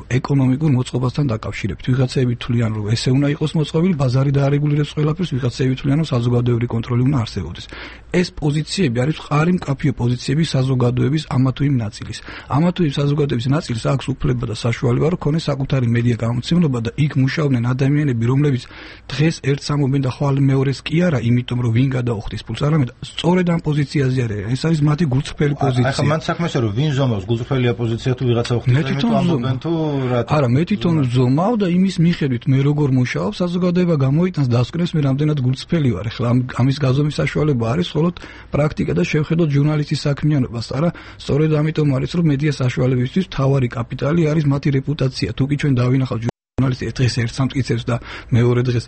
ეკონომიკურ მოწყობასთან დაკავშირებით. ვიღაცები თვლიან, რომ ესე უნდა იყოს მოწყობილი, ბაზარი დაარეგულირებს ყველაფერს, ვიღაცები თვლიან, რომ საზოგადოებრივი კონტროლი უნდა არსებობდეს. ეს პოზიციები არის მყარი მკაფიო პოზიციები საზოგადოების ამა თუ იმ ნაწილის. ამა თუ იმ საზოგადოების ნაწილს აქვს უფლება და საშუალება, რომ ქონდეს საკუთარი მედია გამოცემულობა და იქ მუშაობდნენ ადამიანები, რომლებიც დღეს ერთს ამობენ და ხვალ მეორეს კი არა, იმიტომ რომ ვინ გადაუხდის ფულს, არამედ სწორედ ამ პოზიციაზე არის. ეს არის მათი გულწრფელი პოზიცია. ახლა მან საქმესა რომ ვინ ზომავს გულწრფელია პოზიცია თუ ვიღაცა უხდის ამობენ თუ რა. არა, მე თვითონ ზომავ და იმის მიხედვით მე როგორ მუშაობ, საზოგადოება გამოიტანს დასკვნებს მე რამდენად გულწრფელი ვარ. ახლა ამის გაზომვის საშუალება არის მხოლოდ პრაქტიკა და შევხედოთ ჟურნალისტის საქმიანობას. არა, სწორედ ამიტომ არის რომ მედია საშუალებისთვის მთავარი კაპიტალი არის მათი რეპუტაცია. თუ კი ჩვენ დავინახავთ ჟურნალისტი დღეს ერთს ამტკიცებს და მეორე დღეს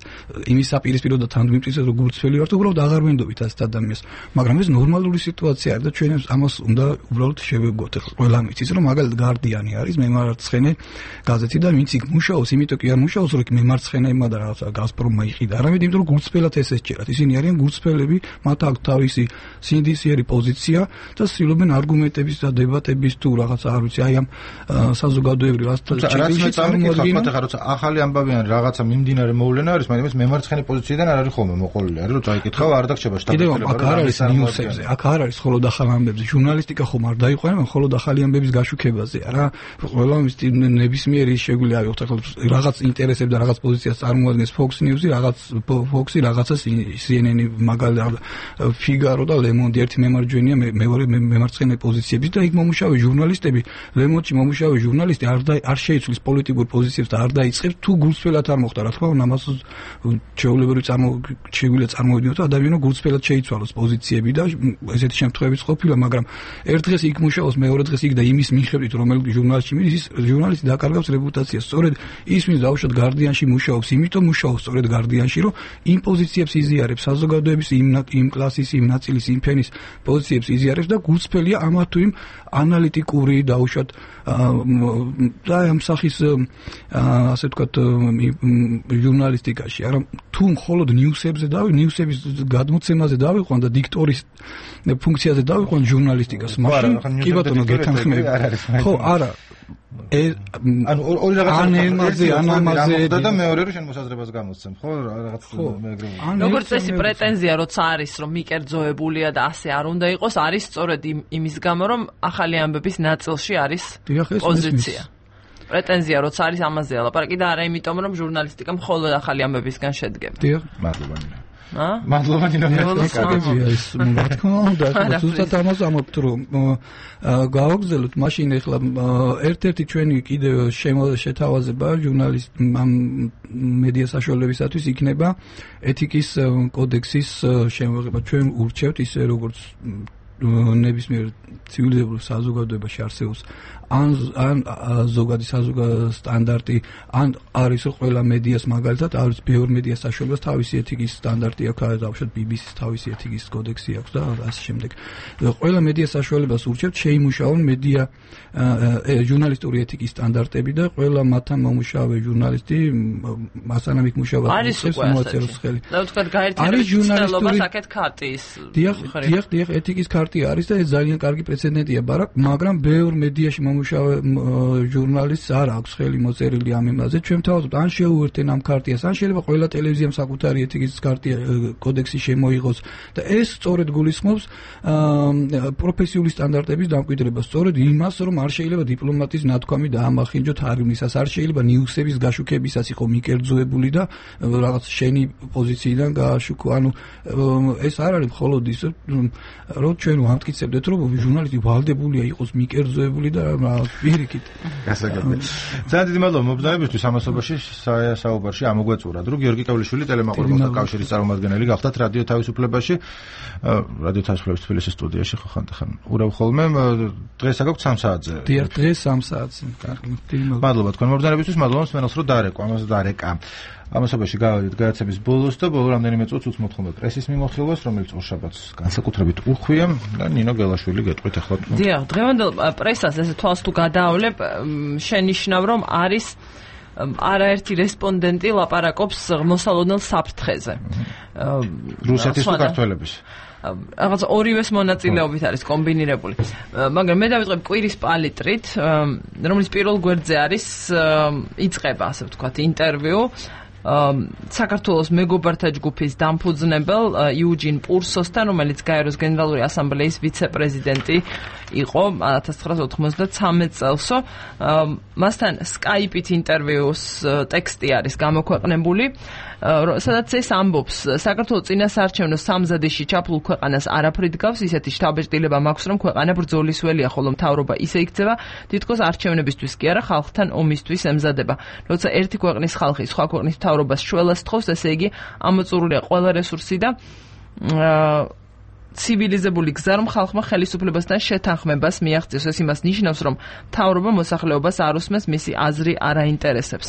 იმის საპირისპირო და თანდმიმტკიცებს რომ გულწრფელი ვარ, უბრალოდ აღარ ვენდობით ასეთ ადამიანს. მაგრამ ეს ნორმალური სიტუაცია არის და ჩვენ ამას უნდა უბრალოდ შევეგოთ. ახლა ყველა მიცის რომ მაგალითად გარდიანი არის მემარცხენე გაზეთი და ვინც იქ მუშაობს, იმიტომ კი არ მუშაობს, რომ მემარცხენეებმა და რაღაცა გაზპრომმა იყიდა. არამედ იმიტომ რომ გულწრფელად ეს ეჭერათ. ისინი არიან გულწრფელები, მათ აქვს თავისი სინდისიერი პოზიცია და ცდილობენ არგუმენტების და დებატების თუ რაღაცა არ ვიცი, აი ამ საზოგადოებრივ ასეთში წარმოადგენენ ახალი ამბავი ან რაღაცა მიმდინარე მოვლენა არის, მაგრამ ეს მემარცხენე პოზიციიდან არ არის ხოლმე მოყოლილი. არის რომ წაიკითხავ არ დაგჭება შტაბ-კეთილება. აქ არ არის ნიუსებზე, აქ არ არის მხოლოდ ახალ ამბებზე. ჟურნალისტიკა ხომ არ დაიყვანა მხოლოდ ახალი ამბების გაშუქებაზე, არა? ყველა ნებისმიერი შეგვიძლია ავიღოთ ახლა რაღაც ინტერესებს და რაღაც პოზიციას წარმოადგენს Fox News-ი, Fox-ი, რაღაცა CNN-ი, მაგალითად Figaro და Le Monde ერთი მემარჯვენეა, მეორე მემარცხენე პოზიციების და იქ მომუშავე ჟურნალისტები, Le Monde-ში მომუშავე ჟურნალისტი არ შეიცვლის პოლიტიკურ პოზიციებს და არ დაიწყებს თუ გულწრფელად არ მოხდა, რა თქმა უნდა, ამას შეგვიძლია წარმოვიდგინოთ, რომ ადამიანო გულწრფელად შეიცვალოს პოზიციები და ესეთი შემთხვევებიც ყოფილა, მაგრამ ერთ დღეს იქ მუშაობს, მეორე დღეს იქ და იმის მიხედვით, რომელ ჟურნალში მიდის, ის ჟურნალისტი დაკარგავს რეპუტაციას. სწორედ ის ვინც დაუშვათ გარდიანში მუშაობს, იმიტომ მუშაობს სწორედ გარდიანში, რომ იმ პოზიციებს იზიარებს, საზოგადოების იმ კლასის, იმ ნაწილის, იმ ფენის პოზიციებს იზიარებს და გულწრფელია ამა თუ იმ ანალიტიკური დაუშვათ და ამ სახის ასე ვთქვათ, ჟურნალისტიკაში, არა თუ მხოლოდ ნიუსებზე ნიუსების გადმოცემაზე დავიყვან და დიქტორის ფუნქციაზე დავიყვან ჟურნალისტიკას, მაშინ კი ბატონო გეთანხმები. ხო, არა. ანუ ორი რაღაცა ამაზე და მეორე რო შენ მოსაზრებას გამოსცემ, ხო, რაღაც მეეგროვი. როგორც წესი პრეტენზია როცა არის, რომ მიკერძოებულია და ასე არ უნდა იყოს, არის სწორედ იმის გამო, რომ ახალი ამბების ნაწილში არის პოზიცია. პრეტენზია როცა არის ამაზე ლაპარაკი და არა იმიტომ, რომ ჟურნალისტიკა მხოლოდ ახალი ამბებისგან შედგება. დიახ, მადლობა. მადლობა ნინო. ის რა თქმა უნდა, ზუსტად ამას ამბობთ, რომ გავაგზავნოთ მაშინ ახლა ერთ-ერთი ჩვენი კიდევ შეთავაზება ჟურნალისტ მედია საშუალებისათვის იქნება ეთიკის კოდექსის შემოღება. ჩვენ ურჩევთ ისე როგორც ნებისმიერ ცივილიზებულ საზოგადოებაში არსებობს ან ზოგადი საზოგადოების სტანდარტი, ან არის ყველა მედიას მაგალითად, არის ბევრ მედიას საშუალებას თავისი ეთიკის სტანდარტი აქვს, დავუშვათ BBC-ს თავისი ეთიკის კოდექსი აქვს და ასე შემდეგ. ყველა მედიას საშუალებას ურჩევთ შეიმუშაონ მედია ჟურნალისტური ეთიკის სტანდარტები და ყველა მათთან მომუშავე ჟურნალისტი მასანამ იქ მუშაობს მოაწეროს ხელი. და ვთქვათ გაერთიანების მცდელობას აქეთ ქარტიის. დიახ, ეთიკის ქარტია არის და ეს ძალიან კარგი პრეცედენტია, მაგრამ ბევრ მედიაში მომუშავე ჟურნალისტს არ აქვს ხელი მოწერილი ამ იმაზე. ჩვენ თავაზობთ, ან შეუერთენ ამ ქარტიას, ან შეიძლება ყველა ტელევიზიამ საკუთარი ეთიკის ქარტია კოდექსი შემოიღოს და ეს სწორედ გულისხმობს პროფესიული სტანდარტების დამკვიდრებას, სწორედ იმას, რომ არ შეიძლება დიპლომატის ნათქვამი დაამახინჯოთ არიმისას, არ შეიძლება ნიუსების გაშუქებისას იყო მიკერძოებული და რაღაც შენი პოზიციიდან გააშუქო. ანუ ეს არ არის მხოლოდ ის, რომ ჩვენ ვამტკიცებდეთ, რომ ჟურნალისტი ვალდებულია იყოს მიკერძოებული და პირიქით. გასაგებია. ძალიან დიდი მადლობა მობრძანებისთვის ამასობაში საუბარში ამოგვეწურათ, რომ გიორგი კავლიშვილი ტელემაყურებელთა კავშირის წარმომადგენელი გახდათ რადიო თავისუფლებაში, რადიო თავისუფლების თბილისის სტუდიაში ხან ურავ ხოლმე დღეს აგაქვთ 3 საათზე. დიახ, დღეს 3 საათზე. კარგი. მადლობა თქვენ მობრძანებისთვის, მადლობა მსმენელს, რომ დაარეკვა, ამას დაარეკა. ამასობაში გავედით გადაცემის ბოლოს და ბოლო რამდენიმე წუთს უცნობ ხოლმე პრესის მიმოხილვას, რომელიც ორშაბათს განსაკუთრებით უხვია და ნინო გელაშვილი გეტყვით ახლა. დიახ, დღევანდელ პრესას ესე თვალს თუ გადაავლებ, შენიშნავ რომ არის არაერთი რესპონდენტი ლაპარაკობს მოსალოდნელ საფრთხეზე. რუსეთის თუ ქართველების? რაღაც ორივეს მონაწილეობით არის კომბინირებული. მაგრამ მე დავიწყებ კვირის პალიტრით, რომელიც პირველ გვერდზე არის, იწყება, ასე ვთქვათ, ინტერვიუ საქართველოს მეგობართა ჯგუფის დამფუძნებელ იუჯინ პურსოსთან, რომელიც გაეროს გენერალური ასამბლეის ვიცე-პრეზიდენტი იყო 1993 წელსო. მასთან სკაიპით ინტერვიუს ტექსტი არის გამოქვეყნებული, სადაც ეს ამბობს, საქართველოს წინასაარჩევნო სამზადისში ჩაფლულ ქვეყანას არაფრით გავს, ისეთი შთაბეჭდილება მაქვს, რომ ქვეყანა ბრძოლის ველია, ხოლო მთავრობა ისე იქცევა, თითქოს არჩევნებისთვის კი არა, ხალხთან ომისთვის ემზადება. როცა ერთი ქვეყნის ხალხი სხვა ქვეყნის მთავრობას შველას თხოვს, ესე იგი ამოწურულია ყველა რესურსი და ცივილიზებული გზა, რომ ხალხმა ხელისუფლებასთან შეთანხმებას მიაღწიოს. ეს იმას ნიშნავს, რომ მთავრობა მოსახლეობას არ უსმენს, მისი აზრი არ აინტერესებს.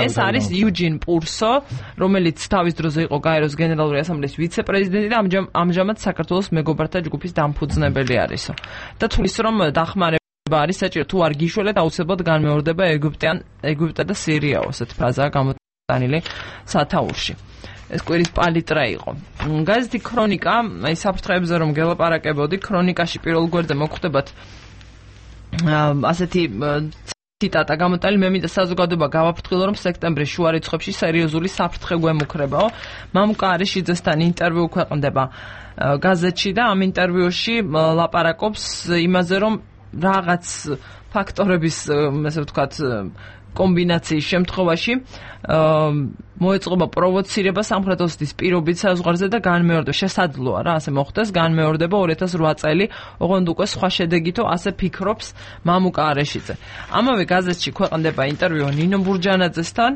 ეს არის იუჯინ პურსო, რომელიც თავის დროზე იყო გაეროს გენერალური ასამბლეის ვიცე-პრეზიდენტი და ამჟამად საქართველოს მეგობართა ჯგუფის დამფუძნებელი არისო. და თulis რომ დახმარება არის საჭირო, თუ არ გიშველეთ, აუცილებლად განმეორდება ეგვიპტე და სირიაო, ესეთ ფრაზაა გამოტანილი სათაურში. ეს კვირის პალიტრა იყო. გაზეთი ქრონიკა, აი საფრთხეებზე რომ გელაპარაკებოდი, ქრონიკაში პირველ გვერდზე მოგხვდებათ ასეთი ციტატა გამოტანილი, მე მინდა საზოგადოება გავაფრთხილო, რომ სექტემბრის შუა რიცხვებში სერიოზული საფრთხე გვემუქრებაო. მამუკა არიშიძესთან ინტერვიუ ქვეყნდება გაზეთში და ამ ინტერვიუში ლაპარაკობს იმაზე, რომ რაღაც ფაქტორების, ასე ვთქვათ, კომბინაციის შემთხვევაში მოეწყობა პროვოცირება სამხრეთ ოსეთის პირობით საზღვარზე და განმეორდება, შესაძლოა რა, ასე მოხდეს, განმეორდება 2008 წელი, ოღონდ უკვე სხვა შედეგითო, ასე ფიქრობს მამუკა არიშიძე. ამავე გაზეთში ქვეყნდება ინტერვიუ ნინო ბურჯანაძესთან,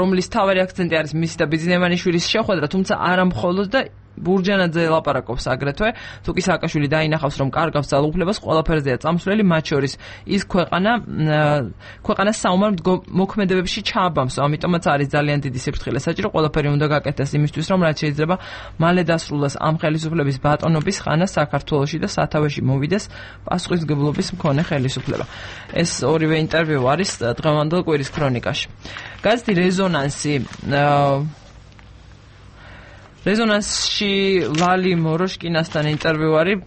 რომლის თავარი აქცენტი არის მისი და ბიძინემანიშვილის შეხვედრა, თუმცა არა მხოლოდ და ბურჯანაძე ელაპარაკობს აგრეთვე, თუკი სააკაშვილი დაინახავს, რომ კარგავს ძალაუფლებას, ყველაფერზეა წამსვლელი, მათ შორის ის ქვეყანას საომარ მოქმედებებში ჩააბამს, ამიტომაც არის ძალიან დიდი სიფრთხილე საჭირო, ყველაფერი უნდა გაკეთდეს იმისთვის, რომ რაც შეიძლება მალე დასრულდეს ამ ხელისუფლების ბატონობის ხანა საქართველოში და სათავეში მოვიდეს პასუხისმგებლობის მქონე ხელისუფლება. ეს ორივე ინტერვიუ არის დღევანდელ კვირის ქრონიკაში. გაზეთი რეზონანსში ლალი მოროშკინასთან ინტერვიუ არის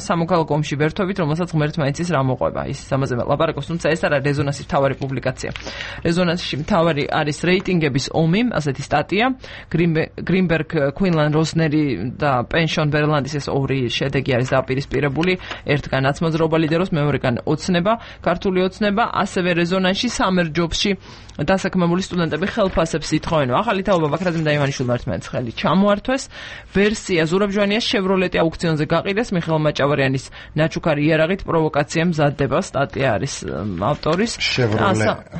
სამოქალაქო ომში ვერთობით, რომელსაც ღმერთმა იცის რა მოყვება. ის ამაზე ლაპარაკობს, თუმცა ეს არა რეზონანსის მთავარი პუბლიკაცია. რეზონანსში მთავარი არის რეიტინგების ომი, ასეთი სტატია. გრინბერგ, κουინლან როსნერი და პენშონ ბერლანდის ეს ორი შედეგი არის დაპირისპირებული. ერთგან აცმოძრაობა ლიდერობს, მეორეგან ოცნება, ქართული ოცნება, ასევე რეზონანსში სამერჯობში დასაქმებული სტუდენტები ხელფასებს ითხოვენ. ახალი თაობა ბაქრაძემ და ივანიშვილმა ერთმანეთს ხელი ჩამოართვეს. ვერსია ზურაბჟვანიას შევროლეტი აუქციონზე გაყიდეს, მიხეილ მაჭავარიანის ნაჩუქარი იარაღით პროვოკაცია მზადდება, სტატია არის ავტორის.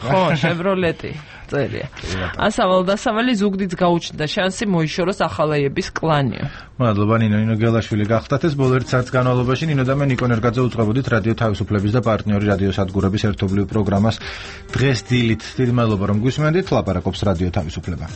ხო, შევროლეტი წერია. ასავალ-დასავალი ზუგდიდს გაუჩნდა შანსი მოიშოროს ახალაიების კლანიო. მადლობა ნინო გელაშვილი გახდათ ეს ბოლო 1 საათის განმავლობაში ნინო და მე ნიკო ნერგაძე უწყებოდით რადიო თავისუფლების და პარტნიორი რადიო სადგურების ერთობლივ პროგრამას დღეს დილით. დიდი მადლობა რომ გვისმენდით, ლაპარაკობს რადიო თავისუფლება.